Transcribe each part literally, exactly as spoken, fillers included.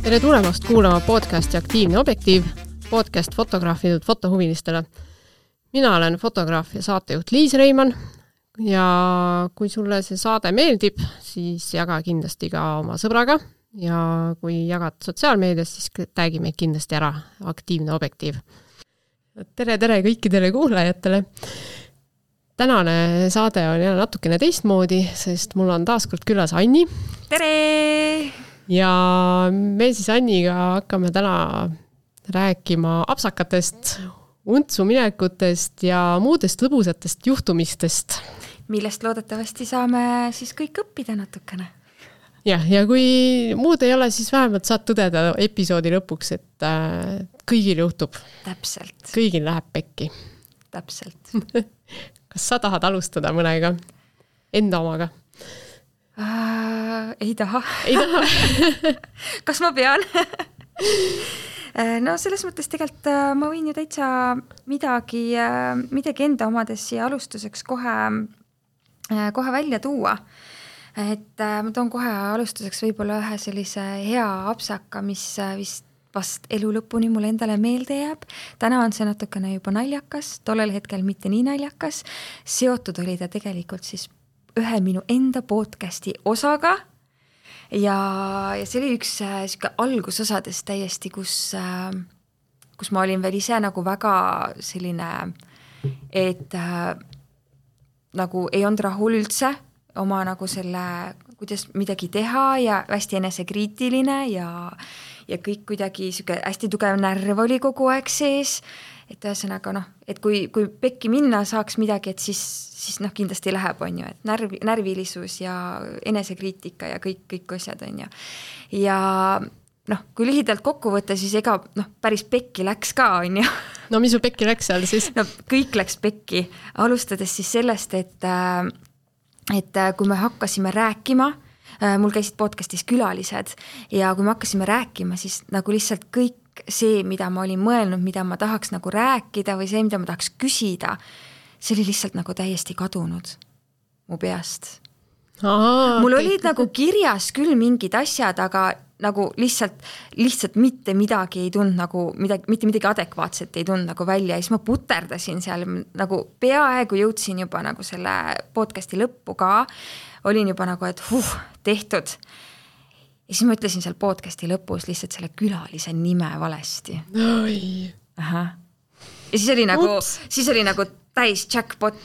Tere tulemast kuulama podcasti Aktiivne objektiiv, podcast fotograafidelt fotohuvilistele. Mina olen fotograaf ja saatejuht Liis Reimann ja kui sulle see saade meeldib, siis jaga kindlasti ka oma sõbraga ja kui jagad sotsiaalmeedias, siis tagi meid kindlasti ära Aktiivne objektiiv. Tere, tere kõikidele kuulajatele! Tänane saade on jälle natukene teistmoodi, sest mul on taaskord külas Anni. Tere! Ja me siis Anniga hakkame täna rääkima apsakatest, untsu minekutest ja muudest lõbusatest juhtumistest. Millest loodetavasti saame siis kõik õppida natukene. Ja, ja kui muud ei ole, siis vähemalt saad tõdeda episoodi lõpuks, et äh, kõigil juhtub. Täpselt. Kõigil läheb pekki. Täpselt. Kas sa tahad alustada mõnega? Enda omaga? Uh, ei taha. Ei taha. Kas ma pean? No selles mõttes tegelikult ma võin ju täitsa midagi, midagi enda omades siia alustuseks kohe, kohe välja tuua. Et ma toon kohe alustuseks võib-olla ühe sellise hea apsaka, mis vist vast elu lõpuni mulle endale meelde jääb. Täna on see natukene juba naljakas, tollel hetkel mitte nii naljakas. Seotud oli ta tegelikult siis ühe minu enda podcasti osaga ja, ja see oli üks äh, algusosades täiesti, kus, äh, kus ma olin veel ise nagu väga selline, et äh, nagu ei olnud rahul üldse oma nagu selle, kuidas midagi teha ja hästi enesekriitiline ja, ja kõik kuidagi siuke hästi tugev närv oli kogu aeg sees. Et ühesõnaga, noh, et kui, kui pekki minna saaks midagi, et siis, siis noh, kindlasti läheb, on ju, et närv, närvilisus ja enesekriitika ja kõik, kõik asjad, on ju. Ja noh, kui lühidalt kokku võtta, siis ega noh, päris pekki läks ka, on ju. No mis su pekki läks seal siis? No kõik läks pekki, alustades siis sellest, et, et kui me hakkasime rääkima, mul käisid podcastis külalised ja kui me hakkasime rääkima, siis nagu lihtsalt kõik see, mida ma olin mõelnud, mida ma tahaks nagu rääkida või see, mida ma tahaks küsida, see oli lihtsalt nagu täiesti kadunud mu peast. Aa, mul kõik. olid nagu kirjas küll mingid asjad, aga nagu lihtsalt, lihtsalt mitte midagi ei tund nagu, midagi, mitte midagi adekvaatset ei tund nagu välja ja siis ma puterdasin seal, nagu peaaegu jõudsin juba nagu selle podcasti lõppu ka, olin juba nagu, et huh, tehtud. Ja siis ma ütlesin seal podcasti lõpus lihtsalt selle külalise nime valesti. Oi. Aha. Ja siis oli nagu, Ups. siis oli nagu täis jackpot.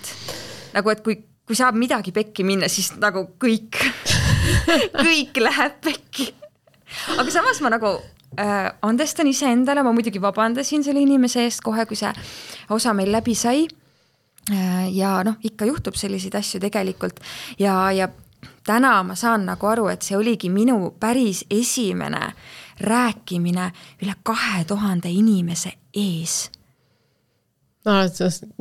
Nagu, et kui, kui saab midagi pekki minna, siis nagu kõik, kõik läheb pekki. Aga samas ma nagu äh, andestan ise endale, ma muidugi vabandasin selle inimese eest kohe, kui see osa meil läbi sai. Äh, ja noh, ikka juhtub selliseid asju tegelikult. Ja, ja täna ma saan nagu aru, et see oligi minu päris esimene rääkimine üle kahe tuhande inimese ees. No,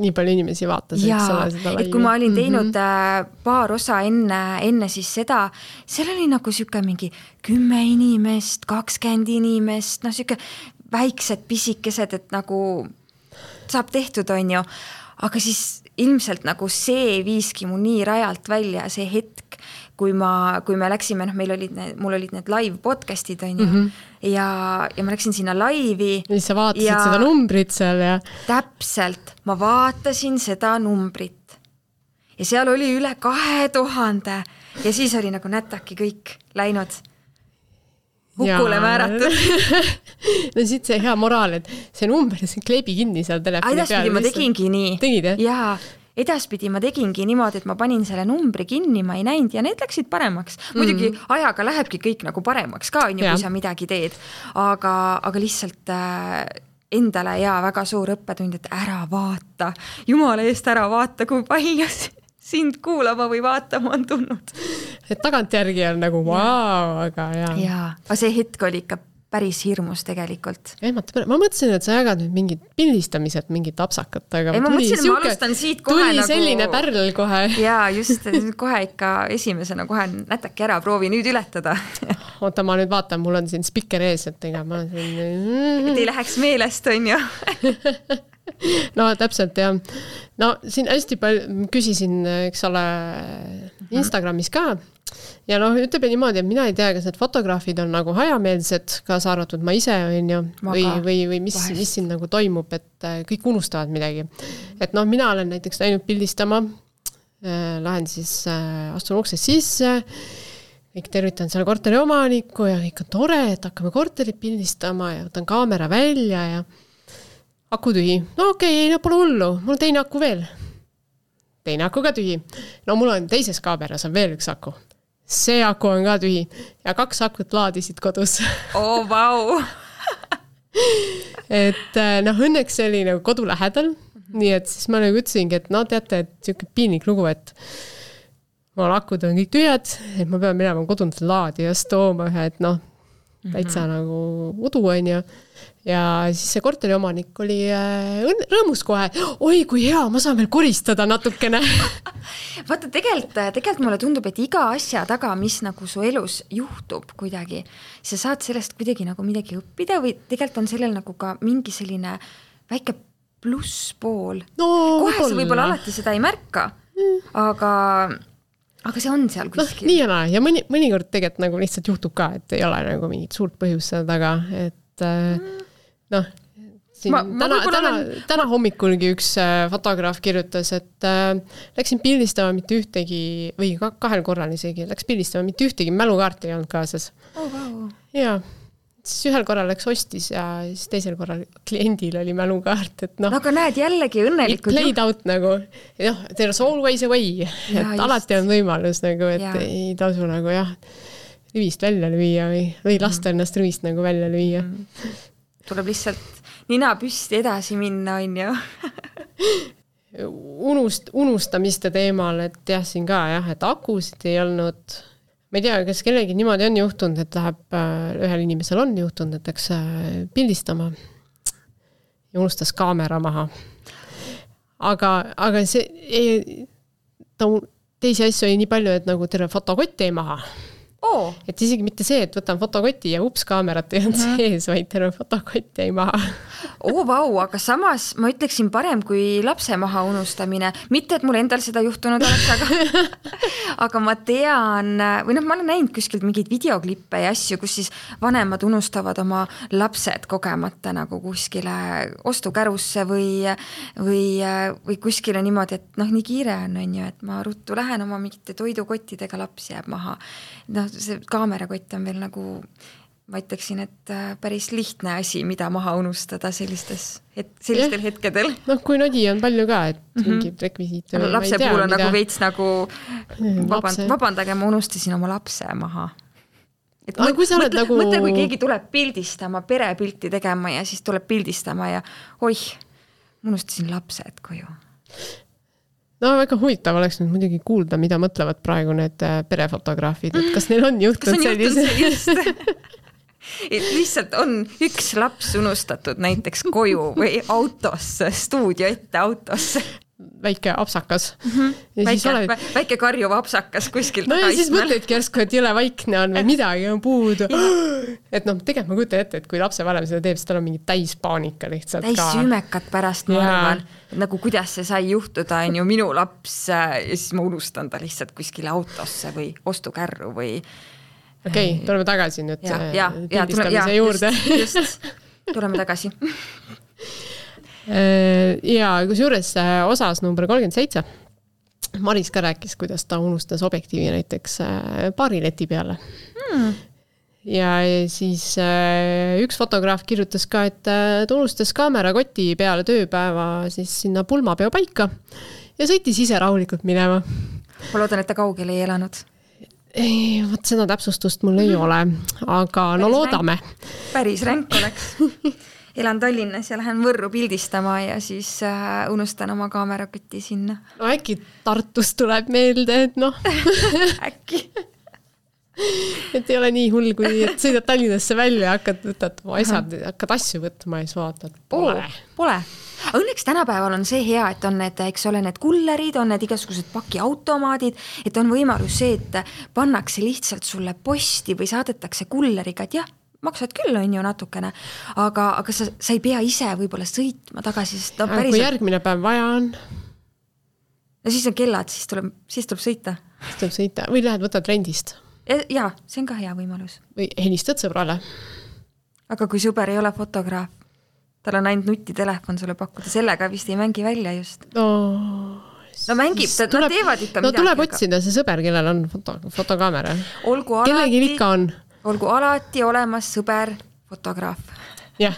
nii palju inimesi vaatas. Ja, seda et kui ma olin teinud mm-hmm. paar osa enne, enne siis seda, seal oli nagu siuke mingi kümme inimest, kakskümmend inimest, no siuke väiksed pisikesed, et nagu saab tehtud, on ju. Aga siis ilmselt nagu see viiski mu nii rajalt välja see hetk, kui, ma, kui me läksime, noh, meil olid need, mul olid need live podcastid, on ju, mm-hmm. ja, ja ma läksin sinna laivi. Ja siis sa vaatasid ja seda numbrit seal ja... Täpselt, ma vaatasin seda numbrit. Ja seal oli üle kahe tuhande ja siis oli nagu nätaki kõik läinud. Hukule ja... määratud. No siit see hea moraal, et see number, see kleebi kinni seal telefoni peal. Edaspidi ma tegingi nii. Tegid, jah? Jaa, edaspidi ma tegingi niimoodi, et ma panin selle numbri kinni, ma ei näinud ja need läksid paremaks. Muidugi mm. ajaga lähebki kõik nagu paremaks ka, on ju, kui sa midagi teed. Aga, aga lihtsalt äh, endale ja väga suur õppetund, et ära vaata. Jumala eest ära vaata, kui palju sind kuulama või vaatama on tulnud. Et tagantjärgi on nagu vau, aga jaa. Jaa, aga see hetk oli ikka päris hirmus tegelikult. Ehmata, ma mõtlesin, et sa jagad nüüd mingid pildistamised, mingid apsakat, aga ei, ma mõtlesin, et ma alustan siit kohe tuli nagu... selline pärl kohe. Jaa, just, kohe ikka esimesena kohe nätaki ära, proovi nüüd ületada. Oota, ma nüüd vaatan, mul on siin spikker ees, et ega ma olen siin... Et ei läheks meelest, on ju. No täpselt, jah. No siin hästi palju küsisin, eks ole, Instagramis ka, ja noh, ütleb niimoodi, et mina ei tea, kas need fotograafid on nagu hajameelsed, kaasa arvatud ma ise on ju, või, või, või mis, mis siin nagu toimub, et kõik unustavad midagi. Et noh, mina olen näiteks läinud pildistama, lähen siis, astun uksest sisse, kõik tervitan seal korteri omanikku ja kõik on tore, et hakkame korterit pildistama ja võtan kaamera välja ja aku tühi. No okei, okay, no pole hullu, mul on teine aku veel. Teine aku ka tühi. No mul on teises kaameras on veel üks aku. See aku on ka tühi. Ja kaks akut laadisid kodus. Oh, vau! et noh, õnneks see oli nagu kodu lähedal. Mm-hmm. Nii et siis ma nagu ütlesingi, et no teate, et siuke piinlik lugu, et mul akud on kõik tühjad, et ma pean minema kodundas laadi ja tooma ühe, et noh, täitsa mm-hmm. nagu udu on ju. Ja siis see korteri omanik oli äh, rõõmus kohe, oi kui hea, ma saan veel koristada natukene. Vaata, tegelikult, tegelikult mulle tundub, et iga asja taga, mis nagu su elus juhtub kuidagi, sa saad sellest kuidagi nagu midagi õppida või tegelikult on sellel nagu ka mingi selline väike plusspool. No, kohe sa võib-olla alati seda ei märka, mm. aga, aga see on seal kuskil. No, nii ja naa, ja mõni, mõnikord tegelikult nagu lihtsalt juhtub ka, et ei ole nagu mingit suurt põhjust seda taga, et noh, siin ma, täna, ma täna, olen... täna hommikulgi üks fotograaf kirjutas, et äh, läksin pildistama mitte ühtegi, või kahel korral isegi, läks pildistama mitte ühtegi mälukaarti ei olnud kaasas. Oh, wow. Ja siis ühel korral läks ostis ja siis teisel korral kliendil oli mälukaart, et noh. No, aga näed jällegi õnnelikult. It played out nagu, noh, there's always a way, ja, et just. Alati on võimalus nagu, et ja. Ei tasu nagu jah, rivist välja lüüa või, või lasta mm. ennast rivist nagu välja lüüa. Mm. Tuleb lihtsalt nina püsti edasi minna, on ju. Unust, unustamiste teemal, et jah, siin ka jah, et akusid ei olnud, ma ei tea, kas kellegi niimoodi on juhtunud, et läheb, ühel inimesel on juhtunud, et läks pildistama ja unustas kaamera maha. Aga, aga see ei, ta, teisi asju oli nii palju, et nagu terve fotokott ei maha. Oh. Et isegi mitte see, et võtan fotokoti ja ups, kaamerat ei olnud mm-hmm. sees, vaid terve fotokott jäi maha. Oo, vau, aga samas ma ütleksin parem kui lapse maha unustamine. Mitte, et mul endal seda juhtunud oleks, aga, aga ma tean, või noh, ma olen näinud kuskilt mingeid videoklippe ja asju, kus siis vanemad unustavad oma lapsed kogemata nagu kuskile ostukärusse või, või, või kuskile niimoodi, et noh, nii kiire on, on ju, et ma ruttu lähen oma mingite toidukottidega, laps jääb maha. Noh, see kaamerakott on veel nagu, ma ütleksin, et päris lihtne asi, mida maha unustada sellistes, et sellistel ja. Hetkedel. Noh, kui nodi on palju ka, et mm -hmm. mingid rekvisiit. Lapse tea, puhul on mida... nagu veits nagu vaband, vabandage, ma unustasin oma lapse maha. Et ah, kui mõtle, nagu... mõtle, kui keegi tuleb pildistama, perepilti tegema ja siis tuleb pildistama ja oih, ma unustasin lapsed koju. No väga huvitav oleks nüüd muidugi kuulda, mida mõtlevad praegu need perefotograafid, et kas neil on juhtunud sellise? Et lihtsalt on üks laps unustatud näiteks koju või autosse, stuudio ette autosse. Väike apsakas. Mm-hmm. Väike, oled... väike karjuv apsakas kuskilt. No ja siis mõtledki järsku, et jõle vaikne on või midagi on puudu. Et noh, tegelikult ma kujutan ette, et kui lapse vanem seda teeb, siis tal on mingi täis paanika lihtsalt. Täis sümekat pärast ma arvan. Nagu kuidas see sai juhtuda, on ju minu laps ja siis ma unustan ta lihtsalt kuskile autosse või ostukärru või... Okei, okay, tuleme tagasi nüüd ja, ja, pildistamise ja, juurde. Just, just, tuleme tagasi. Ja kusjuures osas number kolmkümmend seitse Maris ka rääkis, kuidas ta unustas objektiivi näiteks paarileti peale. Hmm. Ja siis üks fotograaf kirjutas ka, et ta unustas kaamerakoti peale tööpäeva siis sinna pulmapeo paika ja sõitis ise rahulikult minema. Ma loodan, et ta kaugel ei elanud. Ei, võt seda täpsustust mul ei ole, aga no päris loodame. Ränk. Päris ränk oleks. Elan Tallinnas ja lähen Võrru pildistama ja siis äh, unustan oma kaamerakotti sinna. No äkki Tartust tuleb meelde, et noh. Äkki. Et ei ole nii hull, kui et sõidad Tallinnasse välja ja hakkad, võtad oma asjad, hakkad asju võtma ja siis vaatad. Pole. Oh, pole. Õnneks tänapäeval on see hea, et on need, eks ole, need kullerid, on need igasugused pakiautomaadid, et on võimalus see, et pannakse lihtsalt sulle posti või saadetakse kulleriga, et jah, maksad küll, on ju natukene, aga, aga sa, sa ei pea ise võib-olla sõitma tagasi, sest ta päriselt... Kui järgmine päev vaja on? no siis on kellad, siis tuleb, siis tuleb sõita. Siis tuleb sõita või lähed võtad rendist? Jaa, see on ka hea võimalus. Või helistad sõbrale? Aga kui sõber ei ole fotograaf, tal on ainult nutitelefon sulle pakkuda, sellega vist ei mängi välja just. No, no mängib, nad tuleb, teevad ikka no, midagi. No tuleb otsida see sõber, kellel on foto, fotokaamera. Olgu alati, ikka on. olgu alati olemas sõber, fotograaf. Jah,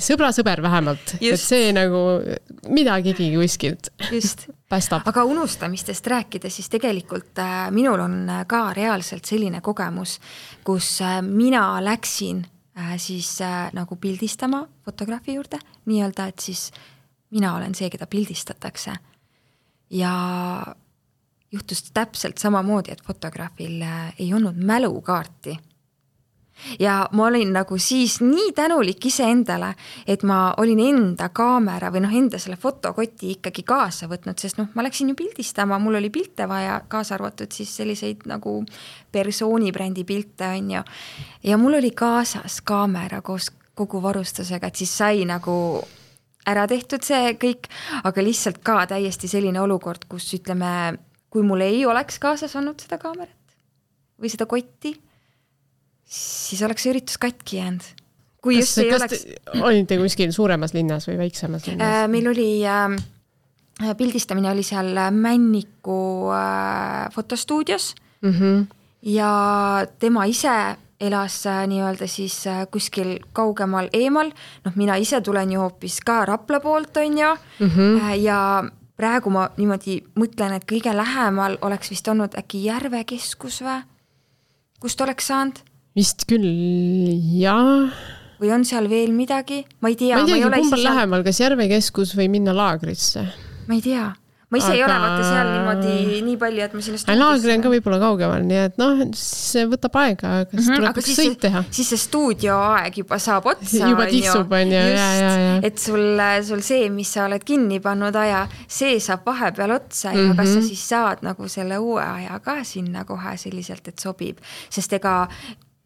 sõbra sõber vähemalt. Just. Et see nagu midagigi kuskilt just. Päästab. Aga unustamistest rääkida, siis tegelikult äh, minul on ka reaalselt selline kogemus, kus äh, mina läksin äh, siis äh, nagu pildistama fotograafi juurde, nii-öelda, et siis mina olen see, keda pildistatakse. Ja juhtus täpselt samamoodi, et fotograafil äh, ei olnud mälukaarti. Ja ma olin nagu siis nii tänulik ise endale, et ma olin enda kaamera või noh, enda selle fotokoti ikkagi kaasa võtnud, sest noh, ma läksin ju pildistama, mul oli pilte vaja kaasa arvatud siis selliseid nagu persoonibrändi pilte on ju. Ja mul oli kaasas kaamera koos kogu varustusega, et siis sai nagu ära tehtud see kõik, aga lihtsalt ka täiesti selline olukord, kus ütleme, kui mul ei oleks kaasas olnud seda kaamerat või seda kotti, siis oleks see üritus katki jäänud. Kui kas, just ei kas oleks... olite kuskil suuremas linnas või väiksemas linnas? Äh, meil oli äh, pildistamine oli seal Männiku äh, fotostuudios mm-hmm. ja tema ise elas äh, nii-öelda siis äh, kuskil kaugemal eemal. Noh, mina ise tulen ju hoopis ka Rapla poolt on ju mm-hmm. äh, ja praegu ma niimoodi mõtlen, et kõige lähemal oleks vist olnud äkki Järvekeskus või? Kust oleks saanud? Vist küll, jaa. Või on seal veel midagi? Ma ei tea. Ma ei teagi, kumbal seal... lähemal, kas Järvekeskus või minna laagrisse? Ma ei tea. Ma ise aga... ei ole vaata seal niimoodi nii palju, et ma sinna... Laagri on ka võib-olla kaugemal, nii et noh, see võtab aega, kas mm-hmm, tuleb üks sõit teha. Siis see stuudioaeg juba saab otsa. Juba tiksub, on ju. Just, ja, ja, ja. et sul, sul see, mis sa oled kinni pannud aja, see saab vahepeal otsa ja mm-hmm. kas sa siis saad nagu selle uue aja ka sinna kohe selliselt, et sobib. Sest ega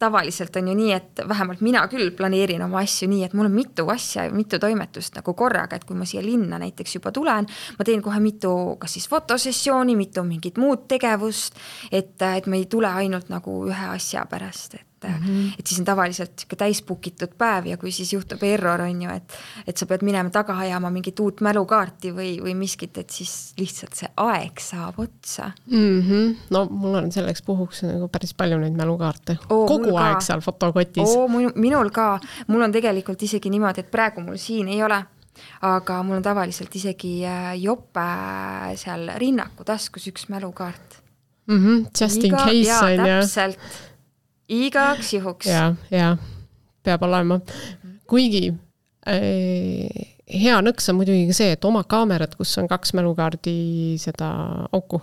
tavaliselt on ju nii, et vähemalt mina küll planeerin oma asju nii, et mul on mitu asja, mitu toimetust nagu korraga, et kui ma siia linna näiteks juba tulen, ma teen kohe mitu, kas siis fotosessiooni, mitu mingit muud tegevust, et, et me ei tule ainult nagu ühe asja pärast, et Mm-hmm. et siis on tavaliselt täispukitud päev ja kui siis juhtub error on ju, et, et sa pead minema taga ajama mingit uut mälukaarti või, või miskit, et siis lihtsalt see aeg saab otsa. Mm-hmm. No mul on selleks puhuks nagu päris palju neid mälukaarte. Oo, kogu aeg ka. Seal fotokotis. Oo, minul ka. Mul on tegelikult isegi niimoodi, et praegu mul siin ei ole, aga mul on tavaliselt isegi jope seal rinnaku taskus üks mälukaart. Mm-hmm. Just in Iga, case ja, on ja. Täpselt. Igaks juhuks. Ja, ja, peab olema. Kuigi äh, hea nõks on muidugi see, et oma kaamerad, kus on kaks mälukaardi seda auku,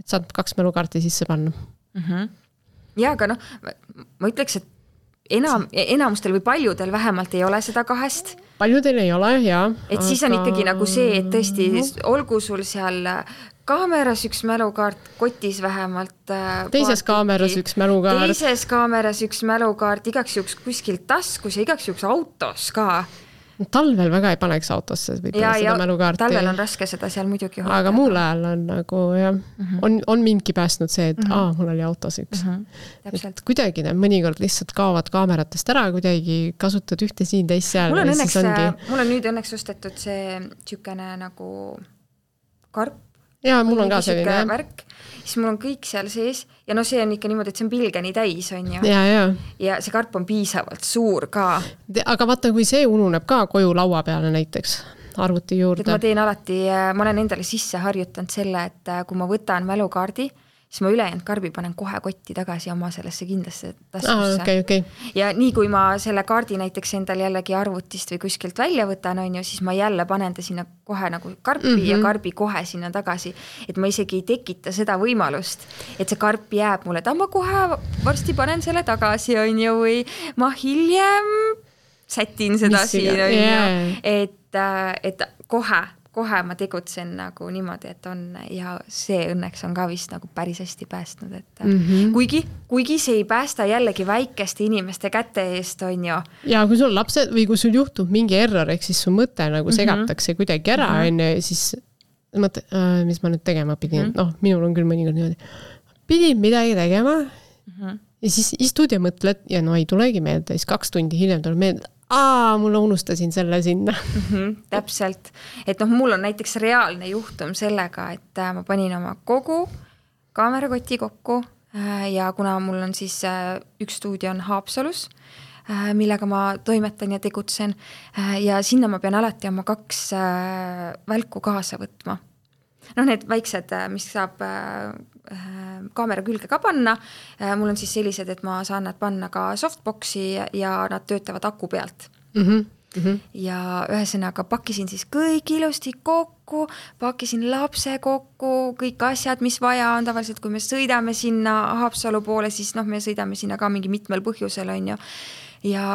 et saad kaks mälukaarti sisse panna. Mm-hmm. Ja, aga noh, ma ütleks, et enam, enamustel või paljudel vähemalt ei ole seda kahest. Paljudel ei ole, jaa. Et aga... siis on ikkagi nagu see, et tõesti olgu sul seal... kaameras üks mälukaart, kotis vähemalt. Teises paatiki. Kaameras üks mälukaart. Teises kaameras üks mälukaart, igaks juhuks kuskilt taskus ja igaks juhuks autos ka. Talvel väga ei paneks autosse võib-olla seda mälukaarti. Talvel on raske seda seal muidugi hoida. Aga muul ajal on nagu, jah, mm-hmm. on, on mindki päästnud see, et mm-hmm. aa, mul oli autos üks. Mm-hmm. Et kuidagi need mõnikord lihtsalt kaovad kaameratest ära, kuidagi kasutad ühte siin, teist seal. Mul on, õnneks, ongi... mul on nüüd õnneks ostetud see tšükene nagu karp. Ja, mul on ka selline. Värk, siis mul on kõik seal sees ja no see on ikka niimoodi, et see on pilgeni täis, on ju. Ja, ja. ja see karp on piisavalt suur ka. Aga vaata, kui see ununeb ka koju laua peale näiteks arvuti juurde. Et ma teen alati, ma olen endale sisse harjutanud selle, et kui ma võtan mälukaardi, siis ma ülejäänud karbi panen kohe kotti tagasi oma sellesse kindlasse taskusse. Ah, okay, okay. Ja nii kui ma selle kaardi näiteks endal jällegi arvutist või kuskilt välja võtan, on ju, siis ma jälle panen ta sinna kohe nagu karpi mm-hmm. ja karbi kohe sinna tagasi. Et ma isegi ei tekita seda võimalust, et see karp jääb mulle, et ma kohe varsti panen selle tagasi, on ju, või ma hiljem sätin seda Mis siin, on yeah. ju, et, et kohe kohe ma tegutsen nagu niimoodi, et on ja see õnneks on ka vist nagu päris hästi päästnud, et mm-hmm. kuigi, kuigi see ei päästa jällegi väikeste inimeste käte eest, on ju. Ja kui sul lapsed või kui sul juhtub mingi error, ehk siis su mõte nagu segatakse mm-hmm. kuidagi ära, mm-hmm. on ju, siis mõtle, mis ma nüüd tegema pidin, mm. noh, minul on küll mõnikord niimoodi, pidin midagi tegema mm-hmm. ja siis istud ja mõtled ja no ei tulegi meelde, siis kaks tundi hiljem tuleb meelde, aa, mul unustasin selle sinna. Mm-hmm, täpselt, et noh, mul on näiteks reaalne juhtum sellega, et ma panin oma kogu kaamerakoti kokku ja kuna mul on siis üks stuudio on Haapsalus, millega ma toimetan ja tegutsen ja sinna ma pean alati oma kaks välku kaasa võtma. Noh, need väiksed, mis saab kaamera külge ka panna, mul on siis sellised, et ma saan nad panna ka softboxi ja nad töötavad aku pealt. Mm-hmm. Mm-hmm. Ja ühesõnaga pakkisin siis kõik ilusti kokku, pakkisin lapse kokku, kõik asjad, mis vaja on tavaliselt, kui me sõidame sinna Haapsalu poole, siis noh, me sõidame sinna ka mingi mitmel põhjusel on ju. Ja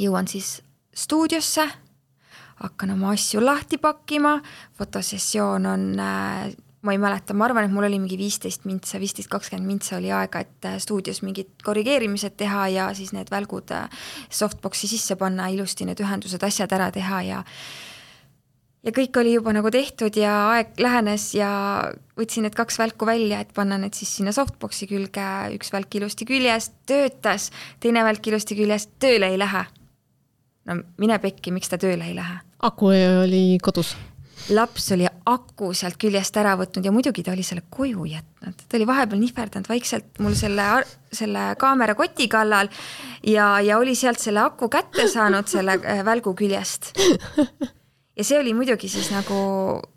jõuan siis stuudiosse, hakkan oma asju lahti pakkima, fotosessioon on, ma ei mäleta, ma arvan, et mul oli mingi viisteist mintsa, viisteist kakskümmend mintsa oli aega, et stuudios mingid korrigeerimised teha ja siis need välgud softboxi sisse panna, ilusti need ühendused, asjad ära teha ja ja kõik oli juba nagu tehtud ja aeg lähenes ja võtsin need kaks välku välja, et panna need siis sinna softboxi külge, üks välk ilusti küljest, töötas, teine välk ilusti küljest, tööle ei lähe. No mine pekki, miks ta tööle ei lähe? Aku oli kodus. Laps oli aku sealt küljest ära võtnud ja muidugi ta oli selle koju jätnud. Ta oli vahepeal nihverdanud vaikselt mul selle, selle kaamera koti kallal ja, ja oli sealt selle aku kätte saanud selle välgu küljest. Ja see oli muidugi siis nagu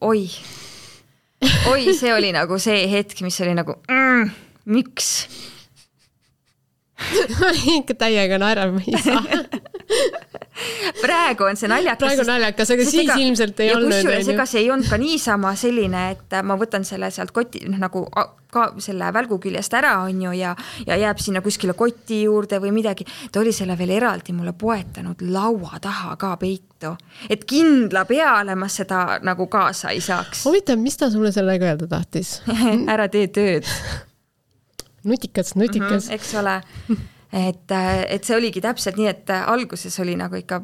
oi. Oi, see oli nagu see hetk, mis oli nagu mm, miks? Ikka täiega naerab ei saa. Praegu on see naljakas. Praegu on naljakas, aga siis ega, ilmselt ei olnud. Ja kusjuures ega see ei olnud ka niisama selline, et ma võtan selle sealt koti, nagu ka selle välgu küljest ära on ju ja, ja jääb sinna kuskile koti juurde või midagi. Ta oli selle veel eraldi mulle poetanud laua taha ka peitu. Et kindla peale ma seda nagu kaasa ei saaks. Huvitav, mis ta sulle sellega öelda tahtis? Ära tee tööd. Nutikas, nutikas. Mm-hmm, eks ole. Et, et see oligi täpselt nii, et alguses oli nagu ikka,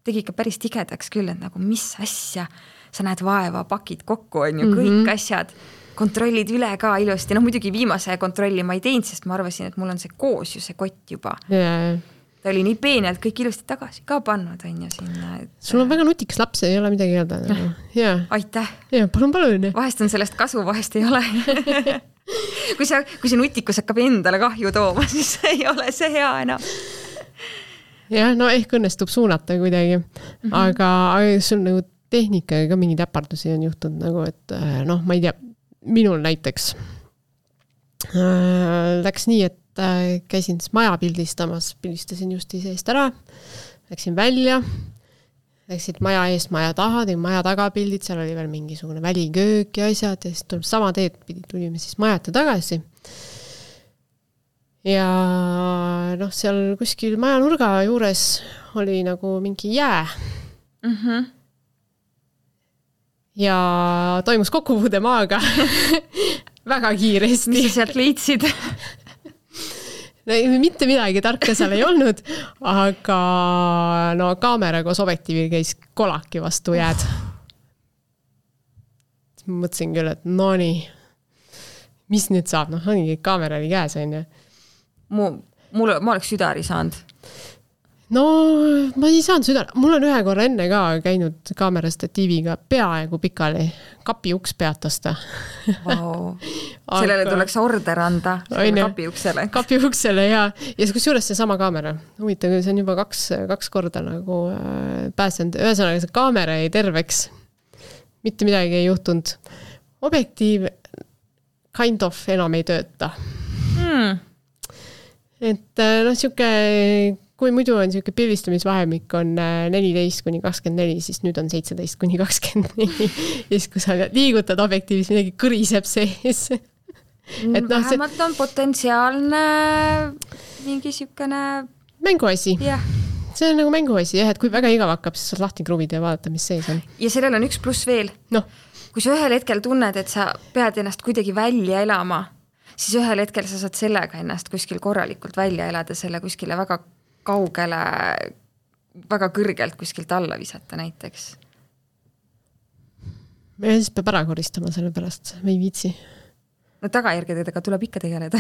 tegi ikka päris tigedaks küll, et nagu mis asja, sa näed vaeva, pakid kokku, on ju, kõik mm-hmm. asjad, kontrollid üle ka ilusti, no muidugi viimase kontrolli ma ei teinud, sest ma arvasin, et mul on see koos ju see kott juba. Yeah. Ta oli nii peenelt kõik ilusti tagasi ka pannud, on ju sinna. Et... Sul on väga nutikas laps, ei ole midagi öelda. Nagu. Yeah. Aitäh. Yeah, palun, palun. Vahest on sellest kasu, vahest ei ole. kui, see, kui see nutikus hakkab endale kahju tooma, siis ei ole see hea enam. Jah, no ehk õnnestub suunata kuidagi. Mm-hmm. Aga, aga sul nagu tehnikaga ka mingi täpardusi on juhtunud nagu, et noh, ma ei tea, minul näiteks äh, läks nii, et äh, käisin maja pildistamas, pildistasin just seest ära, läksin välja, läksid maja eest maja taha, tegin maja tagapildid, seal oli veel mingisugune väliköök ja asjad ja siis tuleb sama teed pidi, tulime siis majata tagasi. Ja noh, seal kuskil maja nurga juures oli nagu mingi jää. Mm-hmm. Ja toimus kokkupuude maaga väga kiiresti. Mis sa sealt leidsid? No, mitte midagi tarka seal ei olnud, aga no kaamera koos objektiivil käis kolaki vastu jääd. Mõtlesin küll, et no nii, mis nüüd saab? Noh, ongi kaamera oli käes, on ju. Mu, mul, ma oleks südari saanud. No, ma ei saanud südari. Mul on ühe korra enne ka käinud kaamera statiiviga peaaegu pikali. Kapi uks peatasta. Wow. Sellele aga... tuleks order anda kapi uksele. Kapi uksele, ja. Ja kusjuures see sama kaamera. Huvitav, see on juba kaks, kaks korda nagu äh, pääsenud. Ühesõnaga, see kaamera ei terveks. Mitte midagi ei juhtunud. Objektiiv kind of enam ei tööta. Hmm. Et noh, siuke... Kui muidu on siuke pildistamisvahemik on neliteist kuni kakskümmend neli, siis nüüd on seitseteist kuni kakskümmend neli. Ja siis kui sa liigutad objektiivis, midagi kõriseb sees. Et no, vähemalt see... on potentsiaalne mingi siukene... Mänguasi. Yeah. See on nagu mänguasi, jah, et kui väga igav hakkab, siis saad lahti kruvida ja vaadata, mis sees on. Ja sellel on üks pluss veel. No. Kui sa ühel hetkel tunned, et sa pead ennast kuidagi välja elama, siis ühel hetkel sa saad sellega ennast kuskil korralikult välja elada, selle kuskile väga kaugele, väga kõrgelt kuskilt alla visata näiteks. ja siis peab ära koristama selle pärast, või ei viitsi. No tagajärgedega tuleb ikka tegeleda.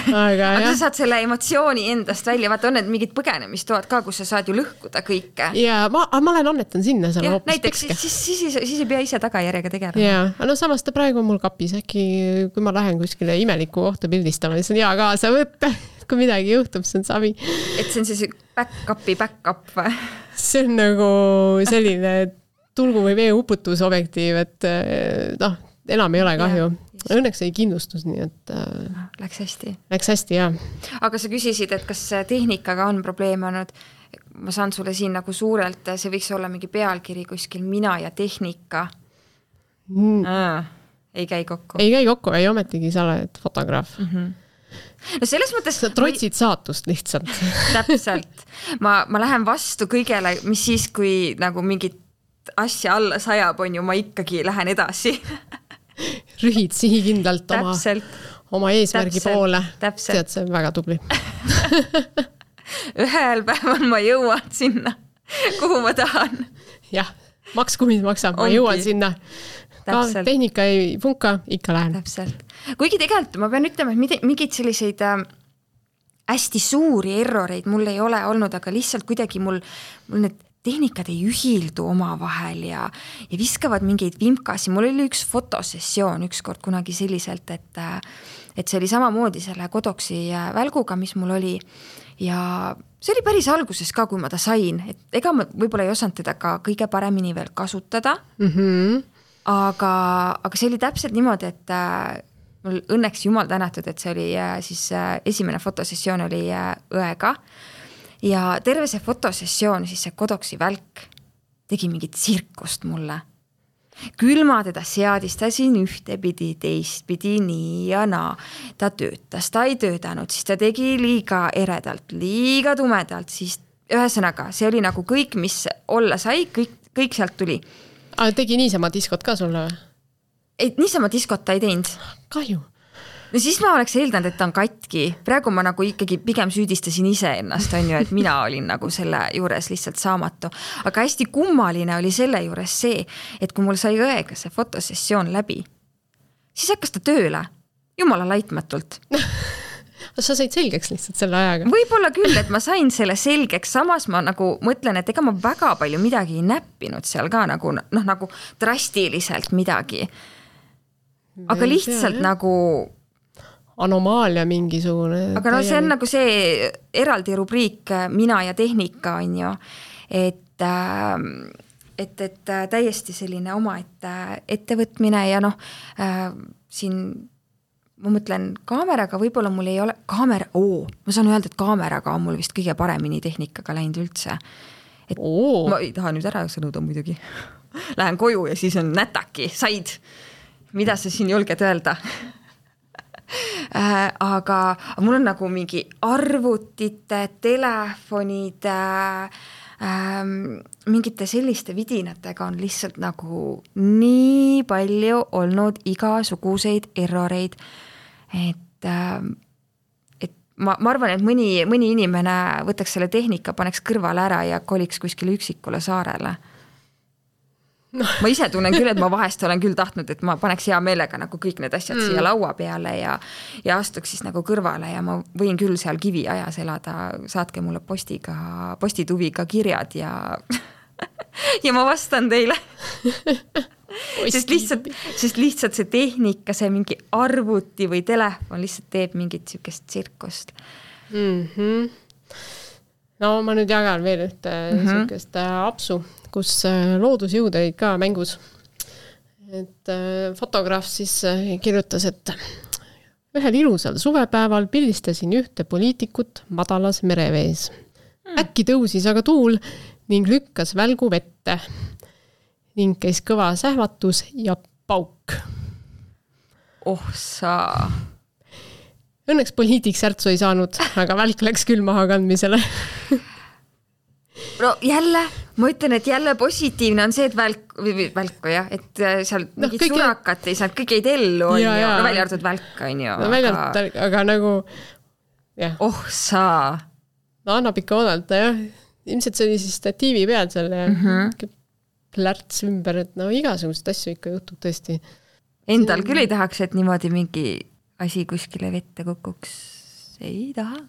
aga, aga sa saad selle emotsiooni endast välja, vaata on need mingid põgenemistoad ka, kus sa saad ju lõhkuda kõike. Ja ma, ma olen annetan sinna seal ja, hoopis näiteks, siis, siis, siis, siis ei pea ise tagajärjega tegelema. Ja, no samas ta praegu on mul kapis, äkki kui ma lähen kuskile imeliku kohta pildistama, siis on hea kaasa võtta, kui midagi juhtub, see on savi. Et see on siis back-upi back-up või? See on nagu selline tulgu või vee uputusobjektiiv, et noh, enam ei ole kahju. Ja, õnneks ei kindlustus, nii et äh, läks hästi. Läks hästi, jah. Aga sa küsisid, et kas tehnikaga on probleem olnud. Ma saan sulle siin nagu suurelt, see võiks olla mingi pealkiri kuskil mina ja tehnika. Mm. Ah, ei käi kokku. Ei käi kokku, ei ometigi sa oled fotograaf. Mm-hmm. No selles mõttes... Sa trotsid ma... saatust lihtsalt. Täpselt. Ma, ma lähen vastu kõigele, mis siis, kui nagu mingit asja alla sajab, on ju, ma ikkagi lähen edasi. Rühid sihikindlalt oma, oma eesmärgi täpselt, poole. Täpselt. Tead, see on väga tubli. Ühel päeval ma jõuan sinna, kuhu ma tahan. Jah, maks kui maksab, ma Ongi. Jõuan sinna. Ka tehnika ei funka, ikka lähen. Täpselt. Kuigi tegelikult ma pean ütlema, et mingid selliseid äh, hästi suuri erroreid mul ei ole olnud, aga lihtsalt kuidagi mul, mul need tehnikad ei ühildu oma vahel ja, ja viskavad mingeid vimkasi. Mul oli üks fotosessioon ükskord kunagi selliselt, et, et see oli samamoodi selle Kodoksi välguga, mis mul oli. Ja see oli päris alguses ka, kui ma ta sain. Et ega ma võib-olla ei osanud teda ka kõige paremini veel kasutada. Mm-hmm. Aga, aga see oli täpselt niimoodi, et mul õnneks jumal tänatud, et see oli siis esimene fotosessioon oli õega. Ja terve see fotosessioon, siis see Kodoksi välk tegi mingit tsirkust mulle. Küll ma teda seadistasin ühtepidi, teistpidi, nii ja naa. Ta töötas, ta ei töötanud, siis ta tegi liiga eredalt, liiga tumedalt, siis ühesõnaga, see oli nagu kõik, mis olla sai, kõik, kõik sealt tuli. Aga tegi niisama diskot ka sulle või? Et niisama diskot ta ei teinud. Kahju. No siis ma oleks eeldanud, et ta on katki. Praegu ma nagu ikkagi pigem süüdistasin ise ennast, on ju, et mina olin nagu selle juures lihtsalt saamatu. Aga hästi kummaline oli selle juures see, et kui mul sai õega see fotosessioon läbi, siis hakkas ta tööle, jumala laitmatult. Sa said selgeks lihtsalt selle ajaga? Võib-olla küll, et ma sain selle selgeks, samas ma nagu mõtlen, et ega ma väga palju midagi ei näppinud seal ka nagu, noh, nagu drastiliselt midagi. Aga lihtsalt tea, nagu anomaalia mingisugune. Aga no see on nagu see eraldi rubriik mina ja tehnika on ju, et, et, et täiesti selline oma et, ettevõtmine ja noh, siin ma mõtlen kaameraga, võib-olla mul ei ole kaamera, oo, ma saan öelda, et kaameraga on mul vist kõige paremini tehnikaga läinud üldse. Et oo. Ma ei taha nüüd ära sõnuda muidugi. Lähen koju ja siis on nätaki, said. Mida sa siin julged öelda? Äh, aga mul on nagu mingi arvutite, telefonid, äh, mingite selliste vidinatega on lihtsalt nagu nii palju olnud igasuguseid erroreid, et, äh, et ma, ma arvan, et mõni, mõni inimene võtaks selle tehnika, paneks kõrvale ära ja koliks kuskile üksikule saarele. No. Ma ise tunnen küll, et ma vahest olen küll tahtnud, et ma paneks hea meelega nagu kõik need asjad mm. siia laua peale ja, ja astuks siis nagu kõrvale ja ma võin küll seal kivi ajas elada, saatke mulle postiga, postituviga kirjad ja, ja ma vastan teile. sest, lihtsalt, sest lihtsalt see tehnika, see mingi arvuti või telefon lihtsalt teeb mingit sükest tsirkust. Mm-hmm. No ma nüüd jagan veel ühte mm-hmm. sükest apsu, kus loodusjõud olid ka mängus. Et fotograaf siis kirjutas, et ühel ilusal suvepäeval pildistasin ühte poliitikut madalas merevees. Mm. Äkki tõusis aga tuul ning lükkas välgu vette ning käis kõva sähvatus ja pauk. Oh sa... Õnneks poliitik särtsu ei saanud, aga välk läks küll maha kandmisele. No jälle, ma ütlen, et jälle positiivne on see, et välk, välku jah, et seal no, mingid kõige... surakat ei saanud, kõik ei tellu, on ja, ju, no välja arvatud välk, on ju. No välja arvatud, aga... aga nagu, jah. Oh sa. No annab ikka oodata, jah. Ilmselt see oli siis statiivi peal seal ja mm-hmm. plärts ümber, et no igasugust asju ikka juhtub tõesti. Endal küll ei tahaks, et niimoodi mingi asi kuskile vette kukuks. Ei taha.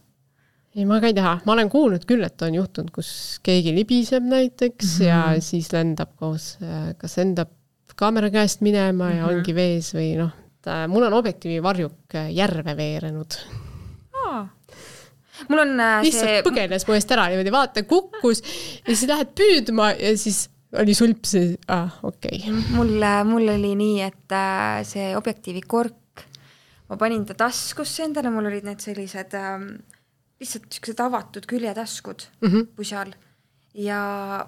Ei, ma ka ei taha. Ma olen kuulnud küll, et on juhtunud, kus keegi libiseb näiteks mm-hmm. ja siis lendab koos, kas lendab kaamera käest minema ja mm-hmm. ongi vees või noh, mul on objektiivi varjuk järve veerenud. Aa. Mul on lihtsalt see... põgenes mu eest ära, niimoodi vaata, kukkus ja siis lähed püüdma ja siis oli sulp see, ah, okei. Okay. Mul, mul oli nii, et see objektiivi kork, ma panin ta taskusse endale, mul olid need sellised ähm, lihtsalt sellised avatud küljetaskud mm-hmm. pusal ja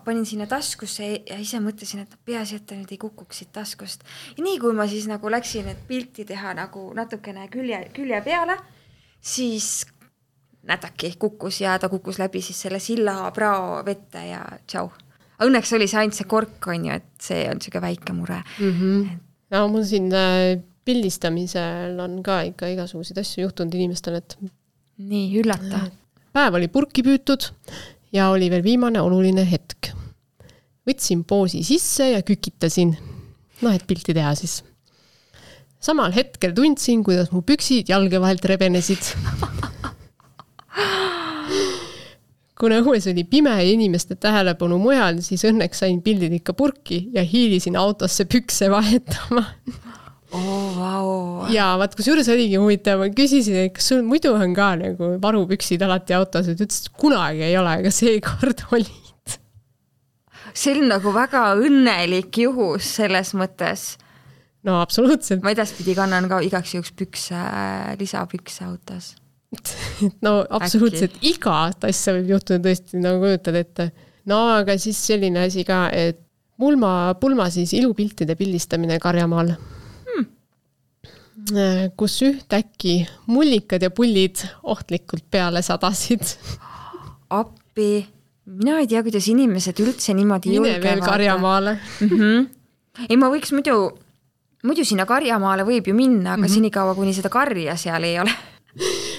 panin sinna taskusse ja ise mõtlesin, et peaasi, et ta nüüd ei kukuks siit taskust. Ja nii kui ma siis nagu läksin, et pilti teha nagu natukene külje, külje peale, siis nätaki kukkus ja ta kukkus läbi siis selle silla prao vette ja tšau. Õnneks oli see ainult see kork, on ju, et see on siuke väike mure. Mm-hmm. No mul siin pildistamisel on ka ikka igasuguseid asju juhtunud inimestel, et nii, üllata. Päev oli purki püütud ja oli veel viimane oluline hetk. Võtsin poosi sisse ja kükitasin. No, et pilti teha siis. Samal hetkel tundsin, kuidas mu püksid jalge vahelt rebenesid. Kuna õues oli pime ja inimeste tähelepanu mujal, siis õnneks sain pildid ikka purki ja hiilisin autosse pükse vahetama. Oh, wow. Ja vaat, kus juures oligi huvitav, ma küsisin, et kas sul muidu on ka nagu varupüksid alati autos, et ütles, et kunagi ei ole, aga seekord olid. See on nagu väga õnnelik juhus selles mõttes. No, absoluutselt. Ma edaspidi kannan ka igaks juhuks pükse, lisapükse autos. No absoluutselt Äkki. Iga asja võib juhtuda tõesti, nagu kujutad ette. No aga siis selline asi ka, et pulma, pulma siis ilupiltide pildistamine Karjamaal, hmm. kus ühtäkki mullikad ja pullid ohtlikult peale sadasid. Appi, mina ei tea, kuidas inimesed üldse niimoodi Mine julgevad. Mine veel Karjamaale. Mm-hmm. Ei, ma võiks muidu, muidu sinna Karjamaale võib ju minna, aga mm-hmm. senikaua, kuni seda karja seal ei ole.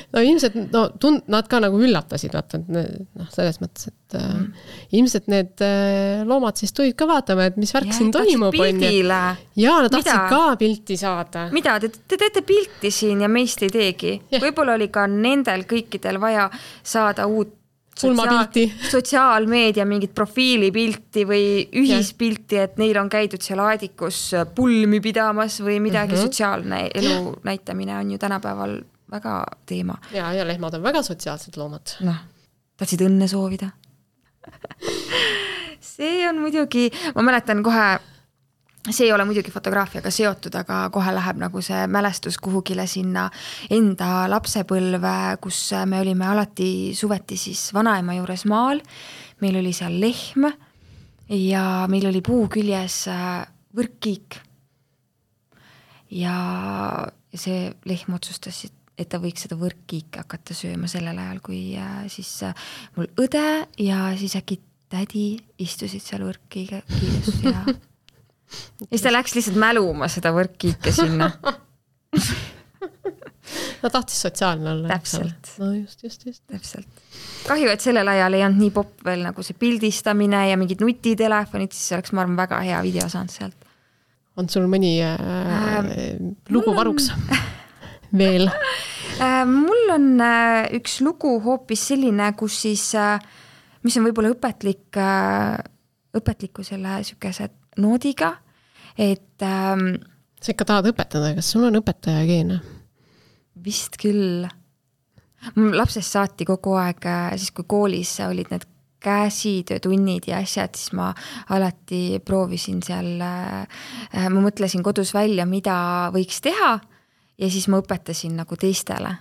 No ilmselt, no tund, nad ka nagu üllatasid, vaata, noh, selles mõttes, et mm. äh, ilmselt need äh, loomad siis tulid ka vaatama, et mis värk siin toimub. Ja nad tahtsid ka pilti saada. Mida? Te, te teete pilti siin ja meist ei teegi. Yeah. Võib-olla oli ka nendel kõikidel vaja saada uut sotsiaal, sotsiaalmeedia mingit profiilipilti või ühispilti, et neil on käidud seal aadikus pulmi pidamas või midagi mm-hmm. sotsiaalne elu näitamine on ju tänapäeval väga teema. Ja, ja lehmad on väga sotsiaalsed loomad. Noh, tahtsid õnne soovida. See on muidugi, ma mäletan kohe, see ei ole muidugi fotograafiaga seotud, aga kohe läheb nagu see mälestus kuhugile sinna enda lapsepõlve, kus me olime alati suveti siis vanaema juures maal. Meil oli seal lehm ja meil oli puu küljes võrkkiik. Ja see lehm otsustas, et ta võiks seda võrkkiike hakata sööma sellel ajal, kui siis mul õde ja siis äkki tädi istusid seal võrkkiike kiides ja ja siis ta läks lihtsalt mäluma seda võrkkiike sinna. No tahtis sotsiaalne olla. Täpselt. No just, just, just. Täpselt. Kahju, et sellel ajal ei olnud nii popp veel nagu see pildistamine ja mingid nutitelefonid, siis oleks ma arvan väga hea video saanud sealt. On sul mõni äh, äh, lugu varuks? Veel? Mul on üks lugu hoopis selline, kus siis, mis on võib-olla õpetlik, õpetliku selle sükese noodiga, et sa ikka tahad õpetada, kas sul on õpetaja geene? Vist küll. Lapsest saati kogu aeg, siis kui koolis olid need käsitöötunnid ja asjad, siis ma alati proovisin seal, ma mõtlesin kodus välja, mida võiks teha ja siis ma õpetasin nagu teistele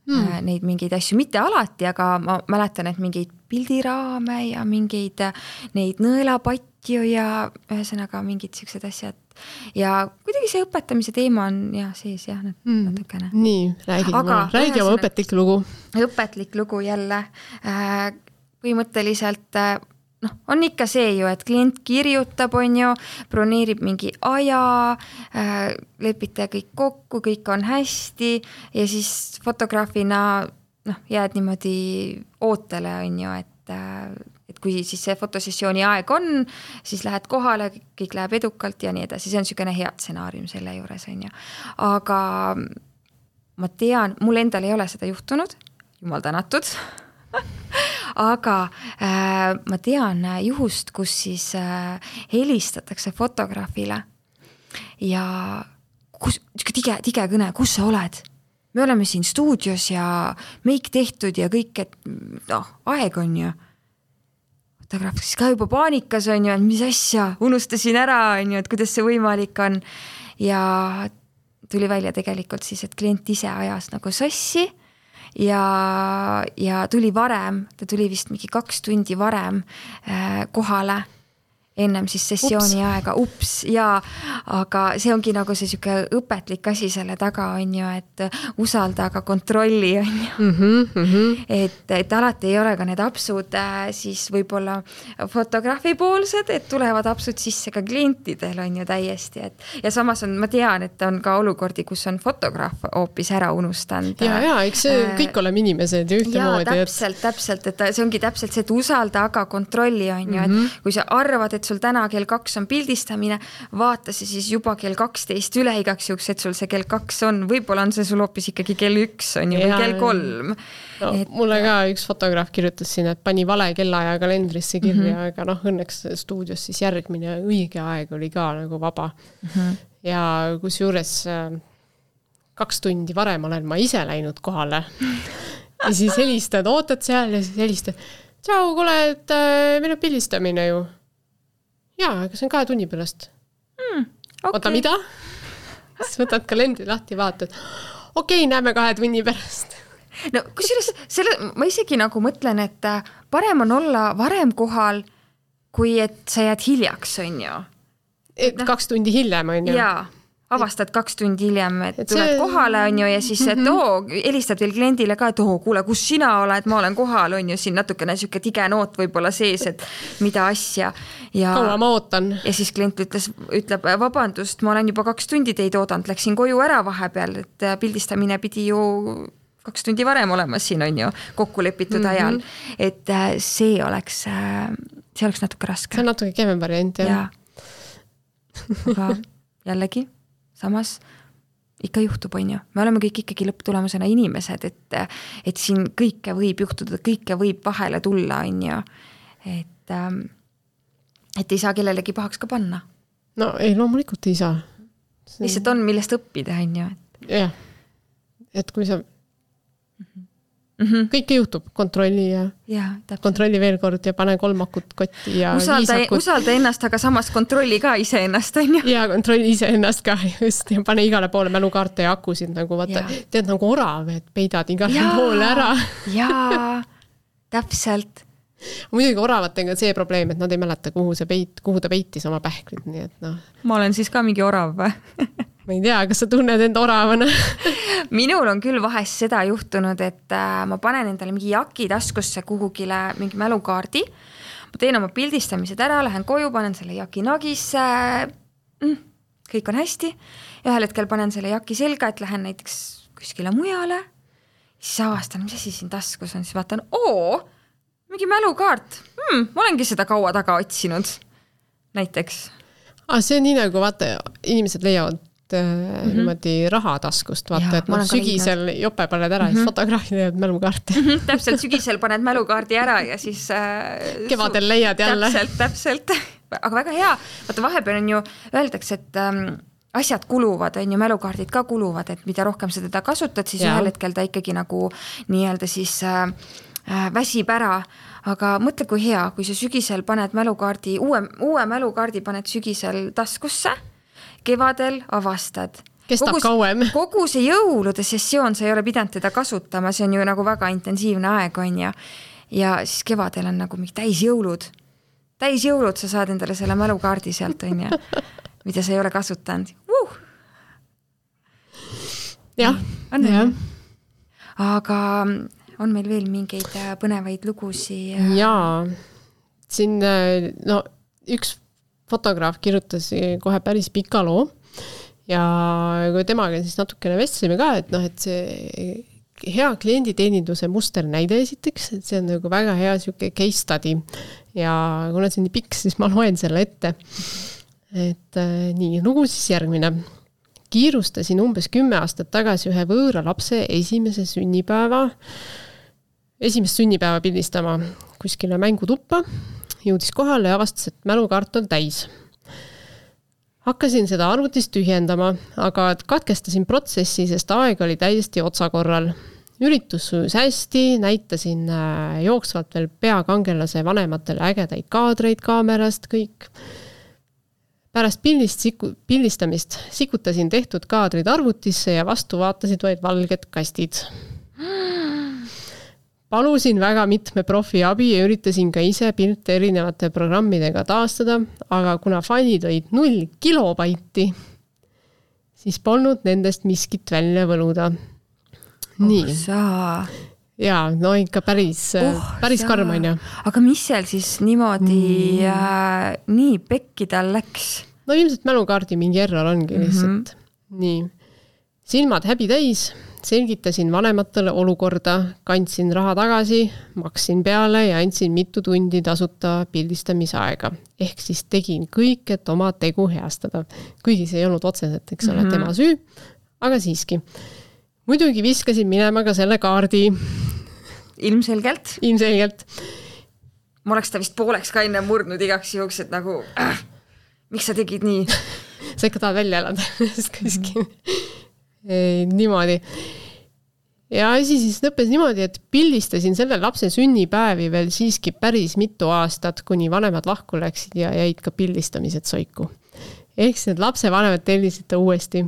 hmm. neid mingeid asju, mitte alati, aga ma mäletan, et mingeid pildiraame ja mingeid neid nõelapatju ja ühesõnaga mingid siuksed asjad. Ja kuidagi see õpetamise teema on jah, sees jah, hmm. natukene. Nii, räägi oma, räägi oma õpetlik lugu. Õpetlik lugu jälle. Põhimõtteliselt noh, on ikka see ju, et klient kirjutab, on ju, broneerib mingi aja, äh, lepite kõik kokku, kõik on hästi ja siis fotograafina noh, jääd niimoodi ootele, on ju, et, äh, et kui siis see fotosessiooni aeg on, siis lähed kohale, kõik läheb edukalt ja nii edasi, see on niisugune hea stsenaarium selle juures, on ju. Aga ma tean, mul endal ei ole seda juhtunud, jumal tänatud, aga äh, ma tean juhust, kus siis äh, helistatakse fotograafile ja kus, tige, tige kõne, kus sa oled? Me oleme siin stuudios ja meik tehtud ja kõik, et noh, aeg on ju. Fotograaf siis ka juba paanikas on ju, et mis asja, unustasin ära, on ju, et kuidas see võimalik on. Ja tuli välja tegelikult siis, et klient ise ajas nagu sassi ja, ja tuli varem, ta tuli vist mingi kaks tundi varem äh, kohale ennem siis sessiooni ups. aega, ups, ja aga see ongi nagu see siuke õpetlik asi selle taga on ju, et usalda, aga kontrolli on ju. Mm-hmm, mm-hmm. Et, et alati ei ole ka need apsud siis võib-olla fotograafi poolsed, et tulevad apsud sisse ka klientidel on ju täiesti, et ja samas on, ma tean, et on ka olukordi, kus on fotograaf hoopis ära unustanud. Ja, ja, eks see kõik oleme inimesed ja ühtemoodi. Ja, täpselt, et... täpselt, et see ongi täpselt see, et usalda, aga kontrolli on ju, mm-hmm. et kui sa arvad, et sul täna kell kaks on pildistamine, vaata see siis juba kell kaksteist üle igaks juks, et sul see kell kaks on, võib-olla on see sul hoopis ikkagi kell üks on ju, või kell kolm. No, et... Mulle ka üks fotograaf kirjutas siin, et pani vale kellaaja kalendrisse kirja, mm-hmm. aga noh, õnneks stuudios siis järgmine õige aeg oli ka nagu vaba. Mm-hmm. Ja kus juures kaks tundi varem olen ma ise läinud kohale ja siis helistad, ootad seal ja siis helistad, tšau, kuule, et meil on pildistamine ju. Jaa, aga see on kahe tunni pärast. Mm, okay. Oota, mida? Siis võtad kalendri lahti ja vaatad. Okei, okay, näeme kahe tunni pärast. No kusjuures selle, ma isegi nagu mõtlen, et parem on olla varem kohal, kui et sa jääd hiljaks, on ju. Et no, kaks tundi hiljem, on ju. Jaa. Avastad kaks tundi hiljem, et, et tuled see... kohale on ju ja siis, et oo, helistad veel kliendile ka, et oo, kuule, kus sina oled, ma olen kohal, on ju siin natukene siuke tige noot võib-olla sees, et mida asja. Ja, kaua ma ootan. Ja siis klient ütles, ütleb, vabandust, ma olen juba kaks tundi teid oodanud, läksin koju ära vahepeal, et pildistamine pidi ju kaks tundi varem olema siin, on ju, kokku lepitud mm-hmm. ajal. Et see oleks, see oleks natuke raske. See on natuke kevem variant, jah. Ja. Aga jällegi samas ikka juhtub, on ju. Me oleme kõik ikkagi lõpptulemusena inimesed, et, et siin kõike võib juhtuda, kõike võib vahele tulla, on ju. Et, et ei saa kellelegi pahaks ka panna. No ei, loomulikult ei saa. See... Lihtsalt on, millest õppida, on ju. Et... Jah, et kui sa mm-hmm. kõike juhtub, kontrolli ja, ja kontrolli veel kord ja pane kolm akut kotti ja usalda, usalda ennast, aga samas kontrolli ka ise ennast, on ju. Ja kontrolli ise ennast ka, just, ja pane igale poole mälukaarte ja akusid, nagu vaata, ja. Tead nagu orav, et peidad igale ja. Poole ära. Jaa, täpselt. Muidugi oravatega on see probleem, et nad ei mäleta, kuhu, see peit, kuhu ta peitis oma pähklid, nii et noh. Ma olen siis ka mingi orav või? Ma ei tea, kas sa tunned end oravana? Minul on küll vahest seda juhtunud, et ma panen endale mingi jaki taskusse kuhugile mingi mälukaardi. Ma teen oma pildistamised ära, lähen koju, panen selle jaki nagisse, mm, kõik on hästi. Ühel hetkel panen selle jaki selga, et lähen näiteks kuskile mujale. Siis avastan, mis asi siin taskus on, siis vaatan, oo, mingi mälukaart. Hmm, ma olengi seda kaua taga otsinud. Näiteks. Ah, see on nii nagu, vaata, inimesed leiavad mm-hmm. niimoodi rahataskust, vaata, ja, et noh, sügisel jope paned ära mm-hmm. ja siis fotograafid leiavad mälukaarti. Mm-hmm. Täpselt, sügisel paned mälukaardi ära ja siis äh, kevadel leiad jälle. Täpselt, täpselt. Aga väga hea. Vaata, vahepeal on ju, öeldakse, et ähm, asjad kuluvad, on ju, mälukaardid ka kuluvad, et mida rohkem sa teda kasutad, siis ja. Ühel hetkel ta ikkagi nagu nii-öelda siis äh, väsib ära, aga mõtle, kui hea, kui sa sügisel paned mälukaardi, uue, uue mälukaardi paned sügisel taskusse, kevadel avastad. Kestab kogu, kauem. Kogu see jõulude sessioon, sa ei ole pidanud teda kasutama, see on ju nagu väga intensiivne aeg, on ja, ja siis kevadel on nagu mingi täis jõulud. Täis jõulud sa saad endale selle mälukaardi sealt, on ja, mida sa ei ole kasutanud. Uh! Jah, on jah. Aga on meil veel mingeid põnevaid lugusi? Jaa, siin no, üks fotograaf kirjutas kohe päris pika loo ja kui temaga siis natukene vestlime ka, et noh, et see hea klienditeeninduse musternäide esiteks, et see on nagu väga hea siuke case study ja kuna see on nii pikk, siis ma loen selle ette. Et äh, nii, lugu siis järgmine. Kiirustasin umbes kümme aastat tagasi ühe võõra lapse esimese sünnipäeva, esimest sünnipäeva pildistama kuskile mängutuppa, jõudis kohale ja avastas, et mälukaart on täis. Hakkasin seda arvutist tühjendama, aga katkestasin protsessi, sest aeg oli täiesti otsakorral. Üritus sujus hästi, näitasin jooksvalt veel peakangelase vanematele ägedaid kaadreid kaamerast, kõik. Pärast pildist, pildistamist sikutasin tehtud kaadrid arvutisse ja vastu vaatasid vaid valged kastid. Palusin väga mitme profi abi ja üritasin ka ise pilte erinevate programmidega taastada, aga kuna failid olid null kilobaiti, siis polnud nendest miskit välja võluda. Nii. Oh, saa. Jaa, no ikka päris, oh, päris karm on ju. Aga mis seal siis niimoodi mm. äh, nii pekki tal läks? No ilmselt mälukaardi mingi error ongi lihtsalt. Mm-hmm. Nii. Silmad häbi täis, selgitasin vanematele olukorda, kandsin raha tagasi, maksin peale ja andsin mitu tundi tasuta pildistamisaega. Ehk siis tegin kõik, et oma tegu heastada. Kuigi see ei olnud otseselt, eks ole, mm-hmm. tema süü, aga siiski. Muidugi viskasin minema ka selle kaardi. Ilmselgelt? Ilmselgelt. Ma oleks ta vist pooleks ka enne murdnud igaks juhuks, et nagu, äh, miks sa tegid nii? Sa ikka tahad välja elada. Kuskil. Ei, niimoodi. Ja asi siis lõppes niimoodi, et pildistasin selle lapse sünnipäevi veel siiski päris mitu aastat, kuni vanemad lahku läksid ja jäid ka pildistamised soiku. Ehk siis need lapse vanemad tellisid ta uuesti.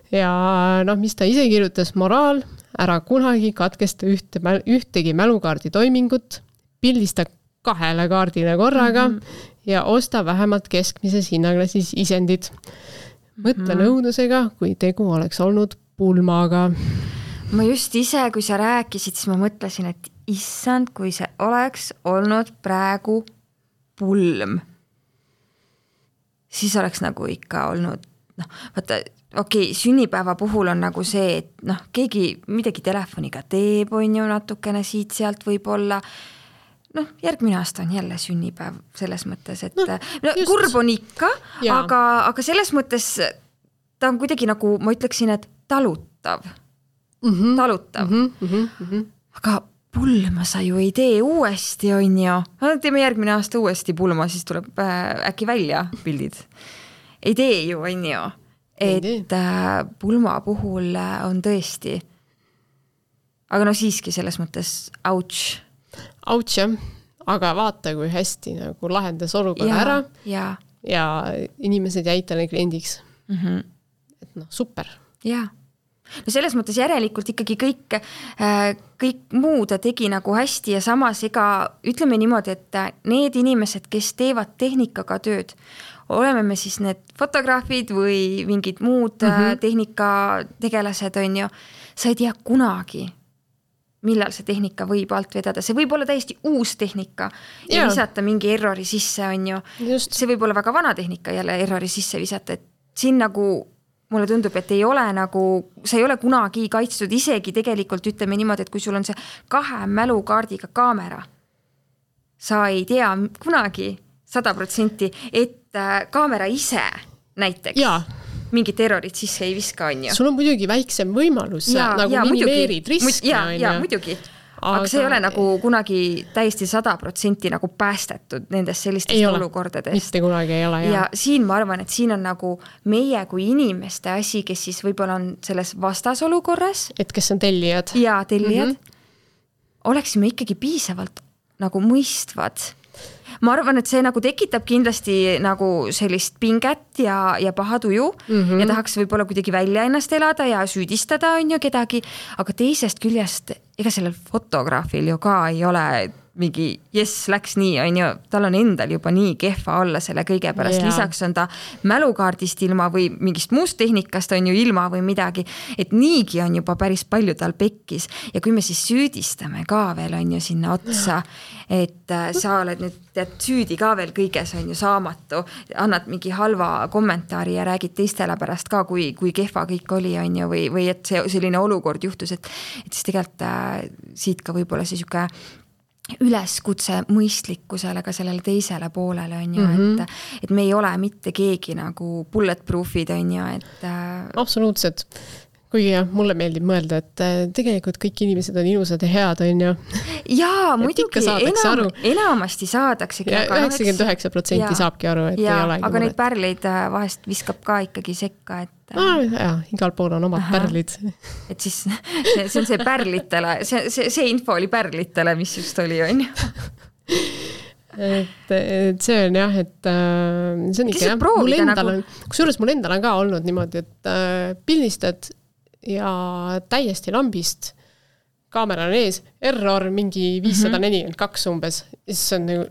Ja noh, mis ta ise kirjutas, moraal, ära kunagi katkesta ühte, ühtegi mälukaardi toimingut, pildista kahele kaardile korraga mm-hmm. ja osta vähemalt keskmises hinnaklassis isendid. Mõtle mm-hmm. nõudlusega, kui tegu oleks olnud pulmaga. Ma just ise, kui sa rääkisid, siis ma mõtlesin, et issand, kui see oleks olnud praegu pulm, siis oleks nagu ikka olnud, noh, vaata, okei, okay, sünnipäeva puhul on nagu see, et noh, keegi midagi telefoniga teeb, on ju natukene siit sealt võib olla. Noh, järgmine aasta on jälle sünnipäev selles mõttes, et no, no, kurb on ikka, aga, aga selles mõttes ta on kuidagi nagu, ma ütleksin, et talutav. Mm-hmm. Talutav. Mm-hmm. Mm-hmm. Aga pulma sa ju ei tee uuesti, on ju. Teeme järgmine aasta uuesti pulma, siis tuleb äh, äkki välja pildid. Ei tee ju, on ju. Et äh, pulma puhul äh, on tõesti. Aga no siiski selles mõttes ouch. Ouch, jah. Aga vaata, kui hästi nagu lahendas olukorra ja, ära ja. ja inimesed jäid talle kliendiks. Mm-hmm. Et noh, super. Jaa. No selles mõttes järelikult ikkagi kõik, äh, kõik muu ta tegi nagu hästi ja samas ega ütleme niimoodi, et need inimesed, kes teevad tehnikaga tööd, oleme me siis need fotograafid või mingid muud mm-hmm. tehnika tegelased on ju, sa ei tea kunagi, millal see tehnika võib alt vedada. See võib olla täiesti uus tehnika ja yeah. visata mingi errori sisse on ju. Just. See võib olla väga vana tehnika jälle errori sisse visata, et siin nagu mulle tundub, et ei ole nagu, sa ei ole kunagi kaitstud, isegi tegelikult ütleme niimoodi, et kui sul on see kahe mälukaardiga kaamera, sa ei tea kunagi sada protsenti, et kaamera ise näiteks ja. Mingit errorit sisse ei viska, on ju. Sul on muidugi väiksem võimalus, ja, nagu ja, minimeerid riski. Ja, ja muidugi. Aga, aga see ei ole nagu kunagi täiesti sada protsenti nagu päästetud nendest sellistest olukordadest. Mitte kunagi ei ole, jah. Ja siin ma arvan, et siin on nagu meie kui inimeste asi, kes siis võib-olla on selles vastasolukorras. Et kes on tellijad. Ja tellijad. Mm-hmm. Oleksime ikkagi piisavalt nagu mõistvad. Ma arvan, et see nagu tekitab kindlasti nagu sellist pinget ja, ja pahatuju mm-hmm. ja tahaks võib-olla kuidagi välja ennast elada ja süüdistada on ju kedagi, aga teisest küljest ega sellel fotograafil ju ka ei ole mingi, jess, läks nii, on ju, tal on endal juba nii kehva olla selle kõige pärast, yeah. lisaks on ta mälukaardist ilma või mingist muust tehnikast on ju ilma või midagi, et niigi on juba päris palju tal pekkis ja kui me siis süüdistame ka veel on ju sinna otsa, et sa oled nüüd tead, süüdi ka veel kõiges on ju saamatu, annad mingi halva kommentaari ja räägid teistele pärast ka, kui, kui kehva kõik oli on ju, või, või et see selline olukord juhtus, et, et siis tegelikult äh, siit ka võib-olla see siuke üleskutse mõistlikkusele ka sellele teisele poolele on ju, mm-hmm. et, et me ei ole mitte keegi nagu bulletproofid on ju, et absoluutselt. Kuigi jah, mulle meeldib mõelda, et tegelikult kõik inimesed on ilusad ja head, on ju. Jaa, muidugi, enam, enamasti saadaksegi. Ja üheksakümmend üheksa protsenti saabki aru, et ja, ei olegi aga muret. Neid pärleid vahest viskab ka ikkagi sekka, et Ah, jah, igal pool on omad Aha. pärlid. Et siis see, see on see pärlitele, see, see, see info oli pärlitele, mis just oli, on ju. et, et see on jah, et see on ikka jah, mul endal nagu... on, kusjuures mul endal on ka olnud niimoodi, et äh, pildistad ja täiesti lambist, kaamera on ees, error mingi viissada nelikümmend kaks umbes, siis on nagu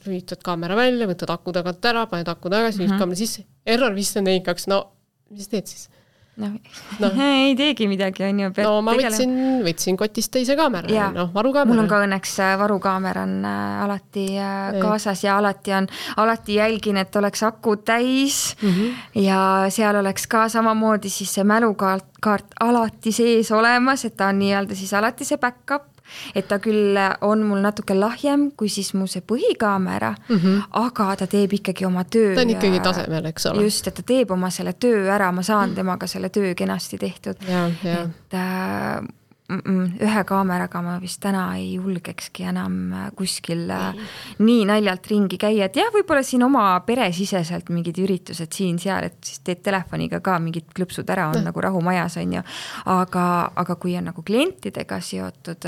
lülitad kaamera välja, võtad aku tagant ära, paned aku tagasi, mm-hmm. kaamera sisse, error viissada nelikümmend kaks, no mis teed siis? No, no. ei teegi midagi, on ju. No ma võtsin, võtsin kotist teise kaamera, ja, no varukaamera. Mul on ka õnneks varukaamera on alati kaasas ja alati on, alati jälgin, et oleks aku täis mm-hmm. ja seal oleks ka samamoodi siis see mälukaart kaart alati sees olemas, et ta on nii-öelda siis alati see backup. Et ta küll on mul natuke lahjem kui siis mu see põhikaamera, mm-hmm. aga ta teeb ikkagi oma töö. Ta on ikkagi tasemel, eks ole. Just, et ta teeb oma selle töö ära, ma saan temaga selle töö kenasti tehtud. Ja, ja. Et äh, ühe kaameraga ma vist täna ei julgekski enam kuskil ei. Nii naljalt ringi käia, et jah, võib-olla siin oma peresiseselt mingid üritused siin-seal, et siis teed telefoniga ka mingid klõpsud ära, on no. nagu rahumajas on ju, aga, aga kui on nagu klientidega seotud,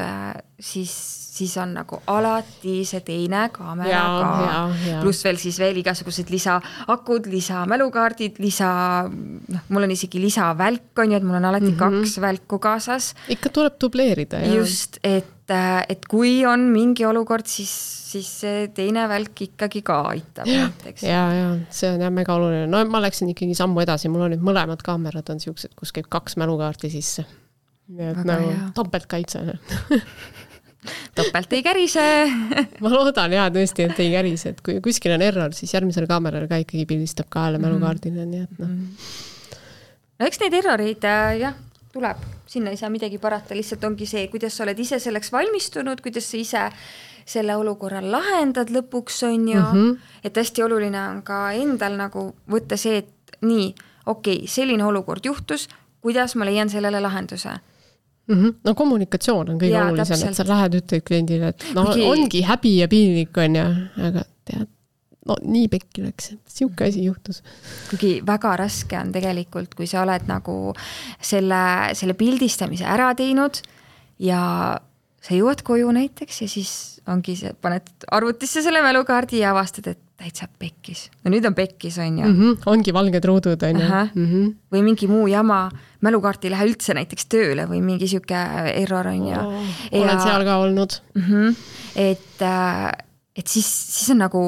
siis, siis on nagu alati see teine kaamera ja, ka, pluss veel siis veel igasugused lisaakud, lisamälukaardid, lisa, noh, mul on isegi lisavälk on ju, et mul on alati mm-hmm. kaks välku kaasas. Ikka tuleb dubleerida. Ja. Just, et, et kui on mingi olukord, siis, siis see teine välk ikkagi ka aitab. Ja, ja, ja see on jah mega oluline. No ma läksin ikkagi sammu edasi, mul on nüüd mõlemad kaamerad on siuksed, kus käib kaks mälukaarti sisse. Nii et aga nagu topelt kaitse. Topelt ei kärise. ma loodan jah tõesti, et ei kärise, et kui kuskil on error, siis järgmisel kaameral ka ikkagi pildistab ka jälle mälukaardile, nii et noh. No eks neid erroreid jah, tuleb, sinna ei saa midagi parata, lihtsalt ongi see, kuidas sa oled ise selleks valmistunud, kuidas sa ise selle olukorra lahendad lõpuks on ju, mm-hmm. et hästi oluline on ka endal nagu võtta see, et nii, okei, okay, selline olukord juhtus, kuidas ma leian sellele lahenduse. Mm-hmm. No kommunikatsioon on kõige ja, olulisem, täpselt. Et sa lähed ütled kliendile, et no Migi... ongi häbi ja piinlik on ja, aga tead, no nii pekki läks, et siuke asi juhtus. Kuigi väga raske on tegelikult, kui sa oled nagu selle, selle pildistamise ära teinud ja sa jõuad koju näiteks ja siis ongi see, paned arvutisse selle mälukaardi ja avastad, et täitsa pekkis. No nüüd on pekkis, on ju. Mm-hmm. Ongi valged ruudud, on ju. Mm-hmm. Või mingi muu jama, mälukaart ei lähe üldse näiteks tööle või mingi siuke error, on ju. Oh, ja, olen seal ka olnud. Mm-hmm. Et, et siis, siis on nagu...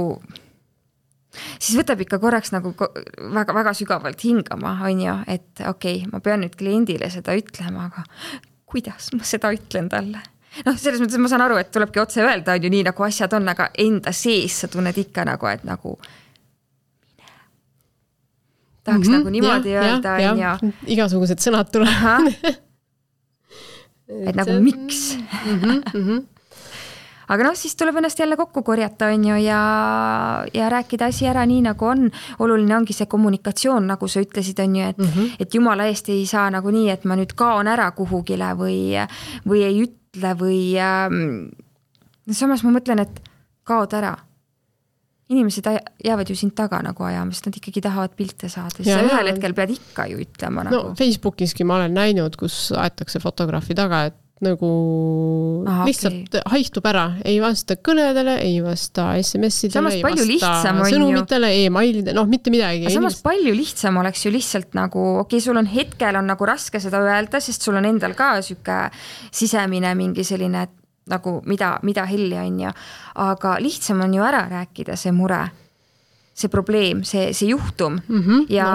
siis võtab ikka korraks nagu väga, väga sügavalt hingama, on ju, et okei, okay, ma pean nüüd kliendile seda ütlema, aga kuidas ma seda ütlen talle? noh, selles mõttes ma saan aru, et tulebki otse öelda, on ju nii nagu asjad on, aga enda sees sa tunned ikka nagu, et nagu mine. Tahaks mm-hmm, nagu niimoodi ja, öelda, ja, on ju. Igasugused sõnad tulevad. et nagu miks? mm-hmm, mm-hmm. Aga noh, siis tuleb ennast jälle kokku korjata, on ju, ja, ja rääkida asi ära nii, nagu on. Oluline ongi see kommunikatsioon, nagu sa ütlesid, on ju, et, mm-hmm. et jumala eest ei saa nagu nii, et ma nüüd kaon ära kuhugile või, või ei ütle või ähm, samas ma mõtlen, et kaod ära. Inimesed jäävad ju sind taga nagu ajama, sest nad ikkagi tahavad pilte saada. Siis ja, sa ühel hetkel pead ikka ju ütlema. Nagu. No Facebookiski ma olen näinud, kus aetakse fotograafi taga, et nagu Aha, lihtsalt okay. haihtub ära, ei vasta kõnedele, ei vasta S M S-idele, ei vasta sõnumitele, e-mailide, noh, mitte midagi. Samas inimesed... palju lihtsam oleks ju lihtsalt nagu, okei, okay, sul on hetkel on nagu raske seda öelda, sest sul on endal ka süke sisemine mingi selline nagu mida, mida helli on ju, aga lihtsam on ju ära rääkida see mure, see probleem, see, see juhtum mm-hmm, ja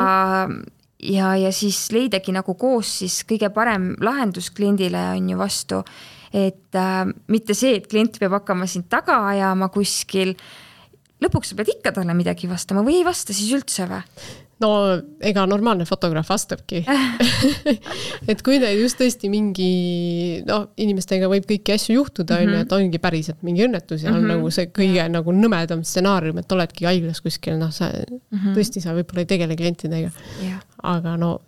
no. Ja, ja siis leidagi nagu koos siis kõige parem lahendus kliendile on ju vastu, et äh, mitte see, et klient peab hakkama sind taga ajama kuskil, lõpuks sa pead ikka talle midagi vastama või ei vasta siis üldse või? no ega normaalne fotograaf vastabki. et kui teil just tõesti mingi, no inimestega võib kõiki asju juhtuda, mm -hmm. et ongi päriselt mingi õnnetus ja mm -hmm. on nagu see kõige nagu nõmedam stsenaarium, et oledki haiglas kuskil, noh sa mm -hmm. tõesti sa võib-olla ei tegele klientidega. Yeah. Aga no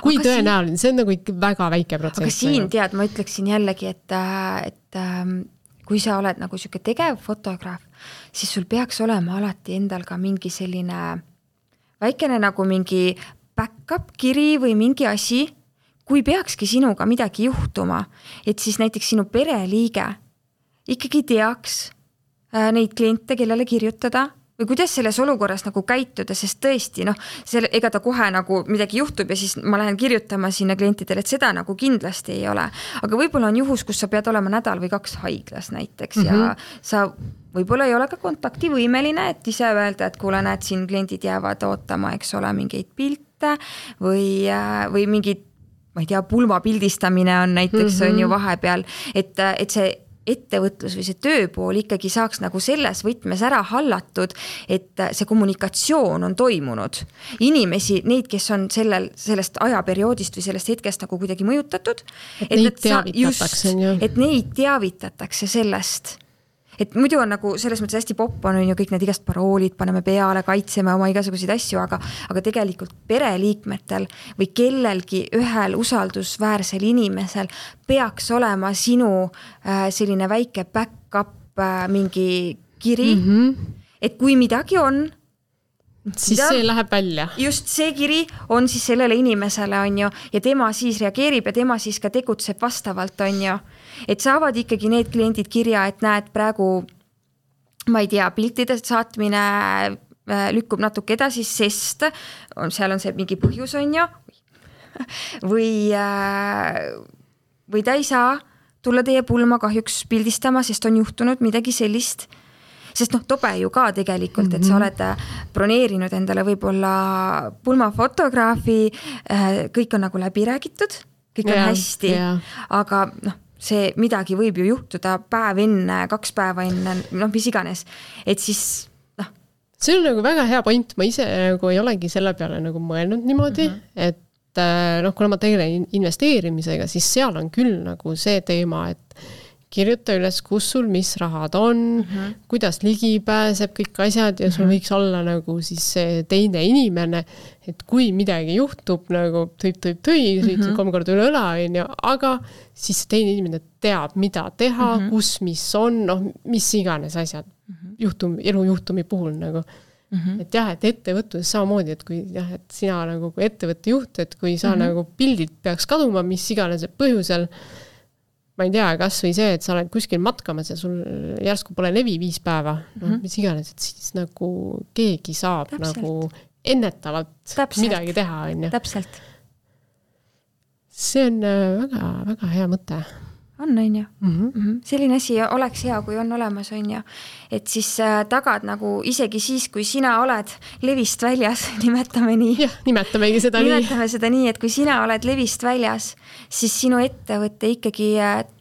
kui aga tõenäoline, see on nagu ikka väga väike protsent. Aga siin tead, ma ütleksin jällegi, et, et kui sa oled nagu siuke tegev fotograaf, siis sul peaks olema alati endal ka mingi selline väikene nagu mingi back-up kiri või mingi asi, kui peakski sinuga midagi juhtuma, et siis näiteks sinu pereliige ikkagi teaks neid kliente, kellele kirjutada või kuidas selles olukorras nagu käituda, sest tõesti, noh, selle, ega ta kohe nagu midagi juhtub ja siis ma lähen kirjutama sinna klientidele, et seda nagu kindlasti ei ole. Aga võib-olla on juhus, kus sa pead olema nädal või kaks haiglas näiteks mm-hmm. ja sa võib-olla ei ole ka kontaktivõimeline, et ise öelda, et kuule, näed, siin kliendid jäävad ootama, eks ole, mingeid pilte või, või mingid, ma ei tea, pulma pildistamine on näiteks mm-hmm. on ju vahepeal, et, et see ettevõtlus või see tööpool ikkagi saaks nagu selles võtmes ära hallatud, et see kommunikatsioon on toimunud. Inimesi, neid, kes on sellel, sellest ajaperioodist või sellest hetkest nagu kuidagi mõjutatud, et, et neid teavitatakse. Just, et neid teavitatakse sellest. Et muidu on nagu selles mõttes hästi popp on ju kõik need igast paroolid, paneme peale, kaitseme oma igasuguseid asju, aga, aga tegelikult pereliikmetel või kellelgi ühel usaldusväärsel inimesel peaks olema sinu äh, selline väike back-up äh, mingi kiri, mm-hmm. et kui midagi on, siis mida, see läheb välja. Just see kiri on siis sellele inimesele on ju, ja tema siis reageerib ja tema siis ka tegutseb vastavalt on ju. Et saavad ikkagi need kliendid kirja, et näed praegu, ma ei tea, piltidest saatmine lükkub natuke edasi, sest on, seal on see mingi põhjus on ju, või, või ta ei saa tulla teie pulma kahjuks pildistama, sest on juhtunud midagi sellist. Sest noh, tobe ju ka tegelikult, et sa oled broneerinud endale võib-olla pulmafotograafi, kõik on nagu läbi räägitud, kõik on yeah, hästi, yeah. aga noh, see midagi võib ju juhtuda päev enne, kaks päeva enne, noh, mis iganes. Et siis, noh. See on nagu väga hea point, ma ise nagu ei olegi selle peale nagu mõelnud niimoodi, mm-hmm. et noh, kuna ma tegelen investeerimisega, siis seal on küll nagu see teema, et kirjuta üles, kus sul mis rahad on, mm-hmm. kuidas ligi pääseb kõik asjad ja sul mm-hmm. võiks olla nagu siis see teine inimene, et kui midagi juhtub, nagu tõib, tõib, tõib, mm-hmm. kolm korda üle õla, aga siis teine inimene teab, mida teha, mm-hmm. kus, mis on, noh, mis iganes asjad mm-hmm. juhtum, elujuhtumi puhul nagu. Mm-hmm. Et jah, et ettevõtluses samamoodi, et kui jah, et sina nagu kui ettevõtte juht, et kui sa mm-hmm. nagu pildid peaks kaduma, mis iganes põhjusel, ma ei tea, kas või see, et sa oled kuskil matkamas ja sul järsku pole levi viis päeva, no, mm-hmm. mis iganes, et siis nagu keegi saab Täpselt. Nagu ennetavalt Täpselt. Midagi teha. On ju. Täpselt. See on väga, väga hea mõte. On, on ju. Mm-hmm. Mm-hmm. Selline asi oleks hea, kui on olemas, on ju. Et siis tagad nagu isegi siis, kui sina oled levist väljas, nimetame nii. Jah, nimetamegi seda nimetame nii. Nimetame seda nii, et kui sina oled levist väljas, siis sinu ettevõte ikkagi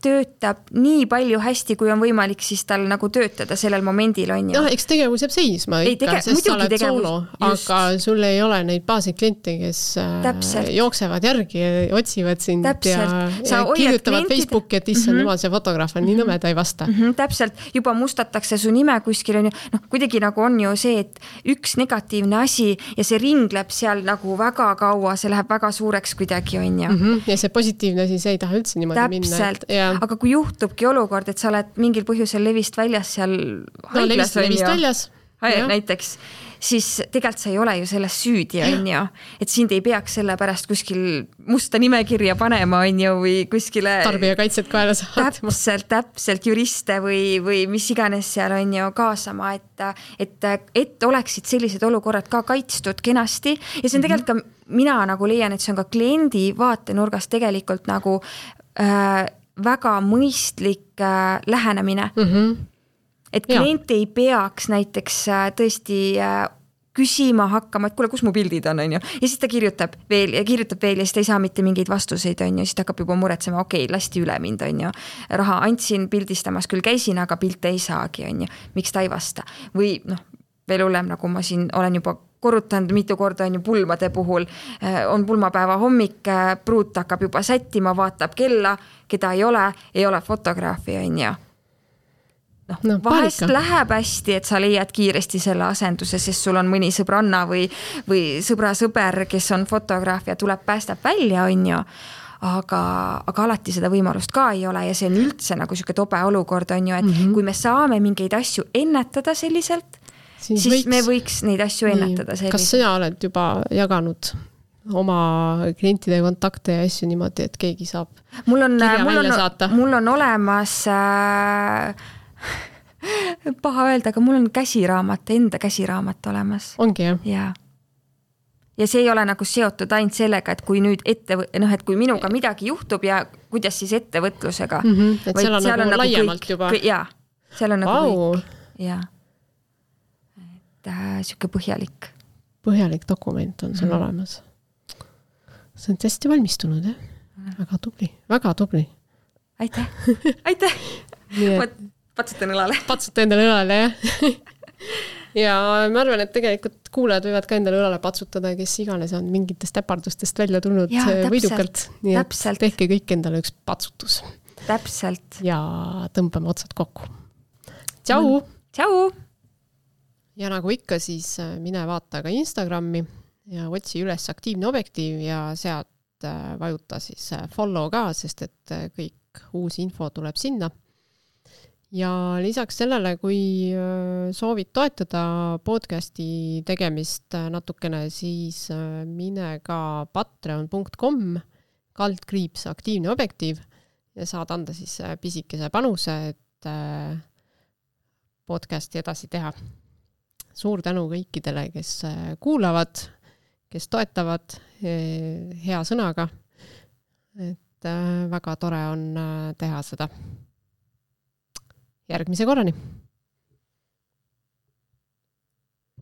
töötab nii palju hästi, kui on võimalik siis tal nagu töötada sellel momendil, on ju. No, eks tegevus jääb seisma ei, ikka, tege- sest sa oled tegevus, soolo, just. Aga sul ei ole neid baasid kliente, kes Täpselt. Jooksevad järgi ja otsivad sind Täpselt. Ja, ja kirjutavad klientide... Facebooki, et issand mm-hmm. jumal, see fotograaf on nii nõme, ta ei vasta. Mm-hmm. Täpselt, juba mustatakse su nime kuskil on ju, noh, kuidagi nagu on ju see, et üks negatiivne asi ja see ringleb seal nagu väga kaua, see läheb väga suureks kuidagi on ju. Mm-hmm. Ja see positiivne asi, see ei taha üldse niimoodi Täpselt. Minna. Täpselt, ja... aga kui juhtubki olukord, et sa oled mingil põhjusel levist väljas seal haiglas no, levist, on levist ju, väljas. Näiteks, siis tegelikult sa ei ole ju selles süüdi, on ju, et sind ei peaks selle pärast kuskil musta nimekirja panema, on ju, või kuskile tarbijakaitset kaela saatma. Täpselt, täpselt juriste või, või mis iganes seal on ju kaasama, et, et, et oleksid sellised olukorrad ka kaitstud kenasti ja see on tegelikult ka, mina nagu leian, et see on ka kliendi vaatenurgast tegelikult nagu äh, väga mõistlik äh, lähenemine. Mhm. Et klient ja. Ei peaks näiteks tõesti küsima hakkama, et kuule, kus mu pildid on, on ju. Ja siis ta kirjutab veel ja kirjutab veel ja siis ta ei saa mitte mingeid vastuseid, on ju. Siis ta hakkab juba muretsema, okei, lasti üle mind, on ju. Raha andsin pildistamas, küll käisin, aga pilte ei saagi, on ju. Miks ta ei vasta? Või noh, veel hullem, nagu ma siin olen juba korrutanud mitu korda on ju pulmade puhul, on pulmapäeva hommik, pruut hakkab juba sättima, vaatab kella, keda ei ole, ei ole fotograafi on ju. No, no, vahest palika. Läheb hästi, et sa leiad kiiresti selle asenduse, sest sul on mõni sõbranna või, või sõbra sõber, kes on fotograaf ja tuleb, päästab välja, on ju. Aga, aga alati seda võimalust ka ei ole ja see on üldse nagu siuke tobe olukord, on ju, et mm-hmm. kui me saame mingeid asju ennetada selliselt, siis, siis võiks, me võiks neid asju ennetada selliselt. Kas sina oled juba jaganud oma klientide kontakte ja asju niimoodi, et keegi saab mul on, kirja mul välja on, saata? Mul on olemas... Äh, paha öelda, aga mul on käsiraamat, enda käsiraamat olemas. Ongi jah? Ja. ja see ei ole nagu seotud ainult sellega, et kui nüüd ette, noh, et kui minuga midagi juhtub ja kuidas siis ettevõtlusega. Mm-hmm, et seal on, seal on nagu laiemalt kõik, juba. Ja, seal on nagu wow. kõik. Ja. Et äh, siuke põhjalik. Põhjalik dokument on sul mm. olemas. See on hästi valmistunud, jah? Mm. Väga tubli, väga tubli. Aitäh, aitäh. Ma patsutan õlale. Patsuta endale õlale, jah. Ja ma arvan, et tegelikult kuulajad võivad ka endale õlale patsutada, kes iganes on mingitest äpardustest välja tulnud ja, võidukalt. Nii täpselt. Et tehke kõik endale üks patsutus. Täpselt. Ja tõmbame otsad kokku. Tšau! Tšau! Ja nagu ikka, siis mine vaata ka Instagrami ja otsi üles aktiivne objektiiv ja sealt vajuta siis follow ka, sest et kõik uus info tuleb sinna. Ja lisaks sellele, kui soovid toetada podcasti tegemist natukene, siis mine ka patreon punkt com kaldkriips aktiivne objektiiv ja saad anda siis pisikese panuse, et podcasti edasi teha. Suur tänu kõikidele, kes kuulavad, kes toetavad hea sõnaga. Et väga tore on teha seda. Järgmise korrani!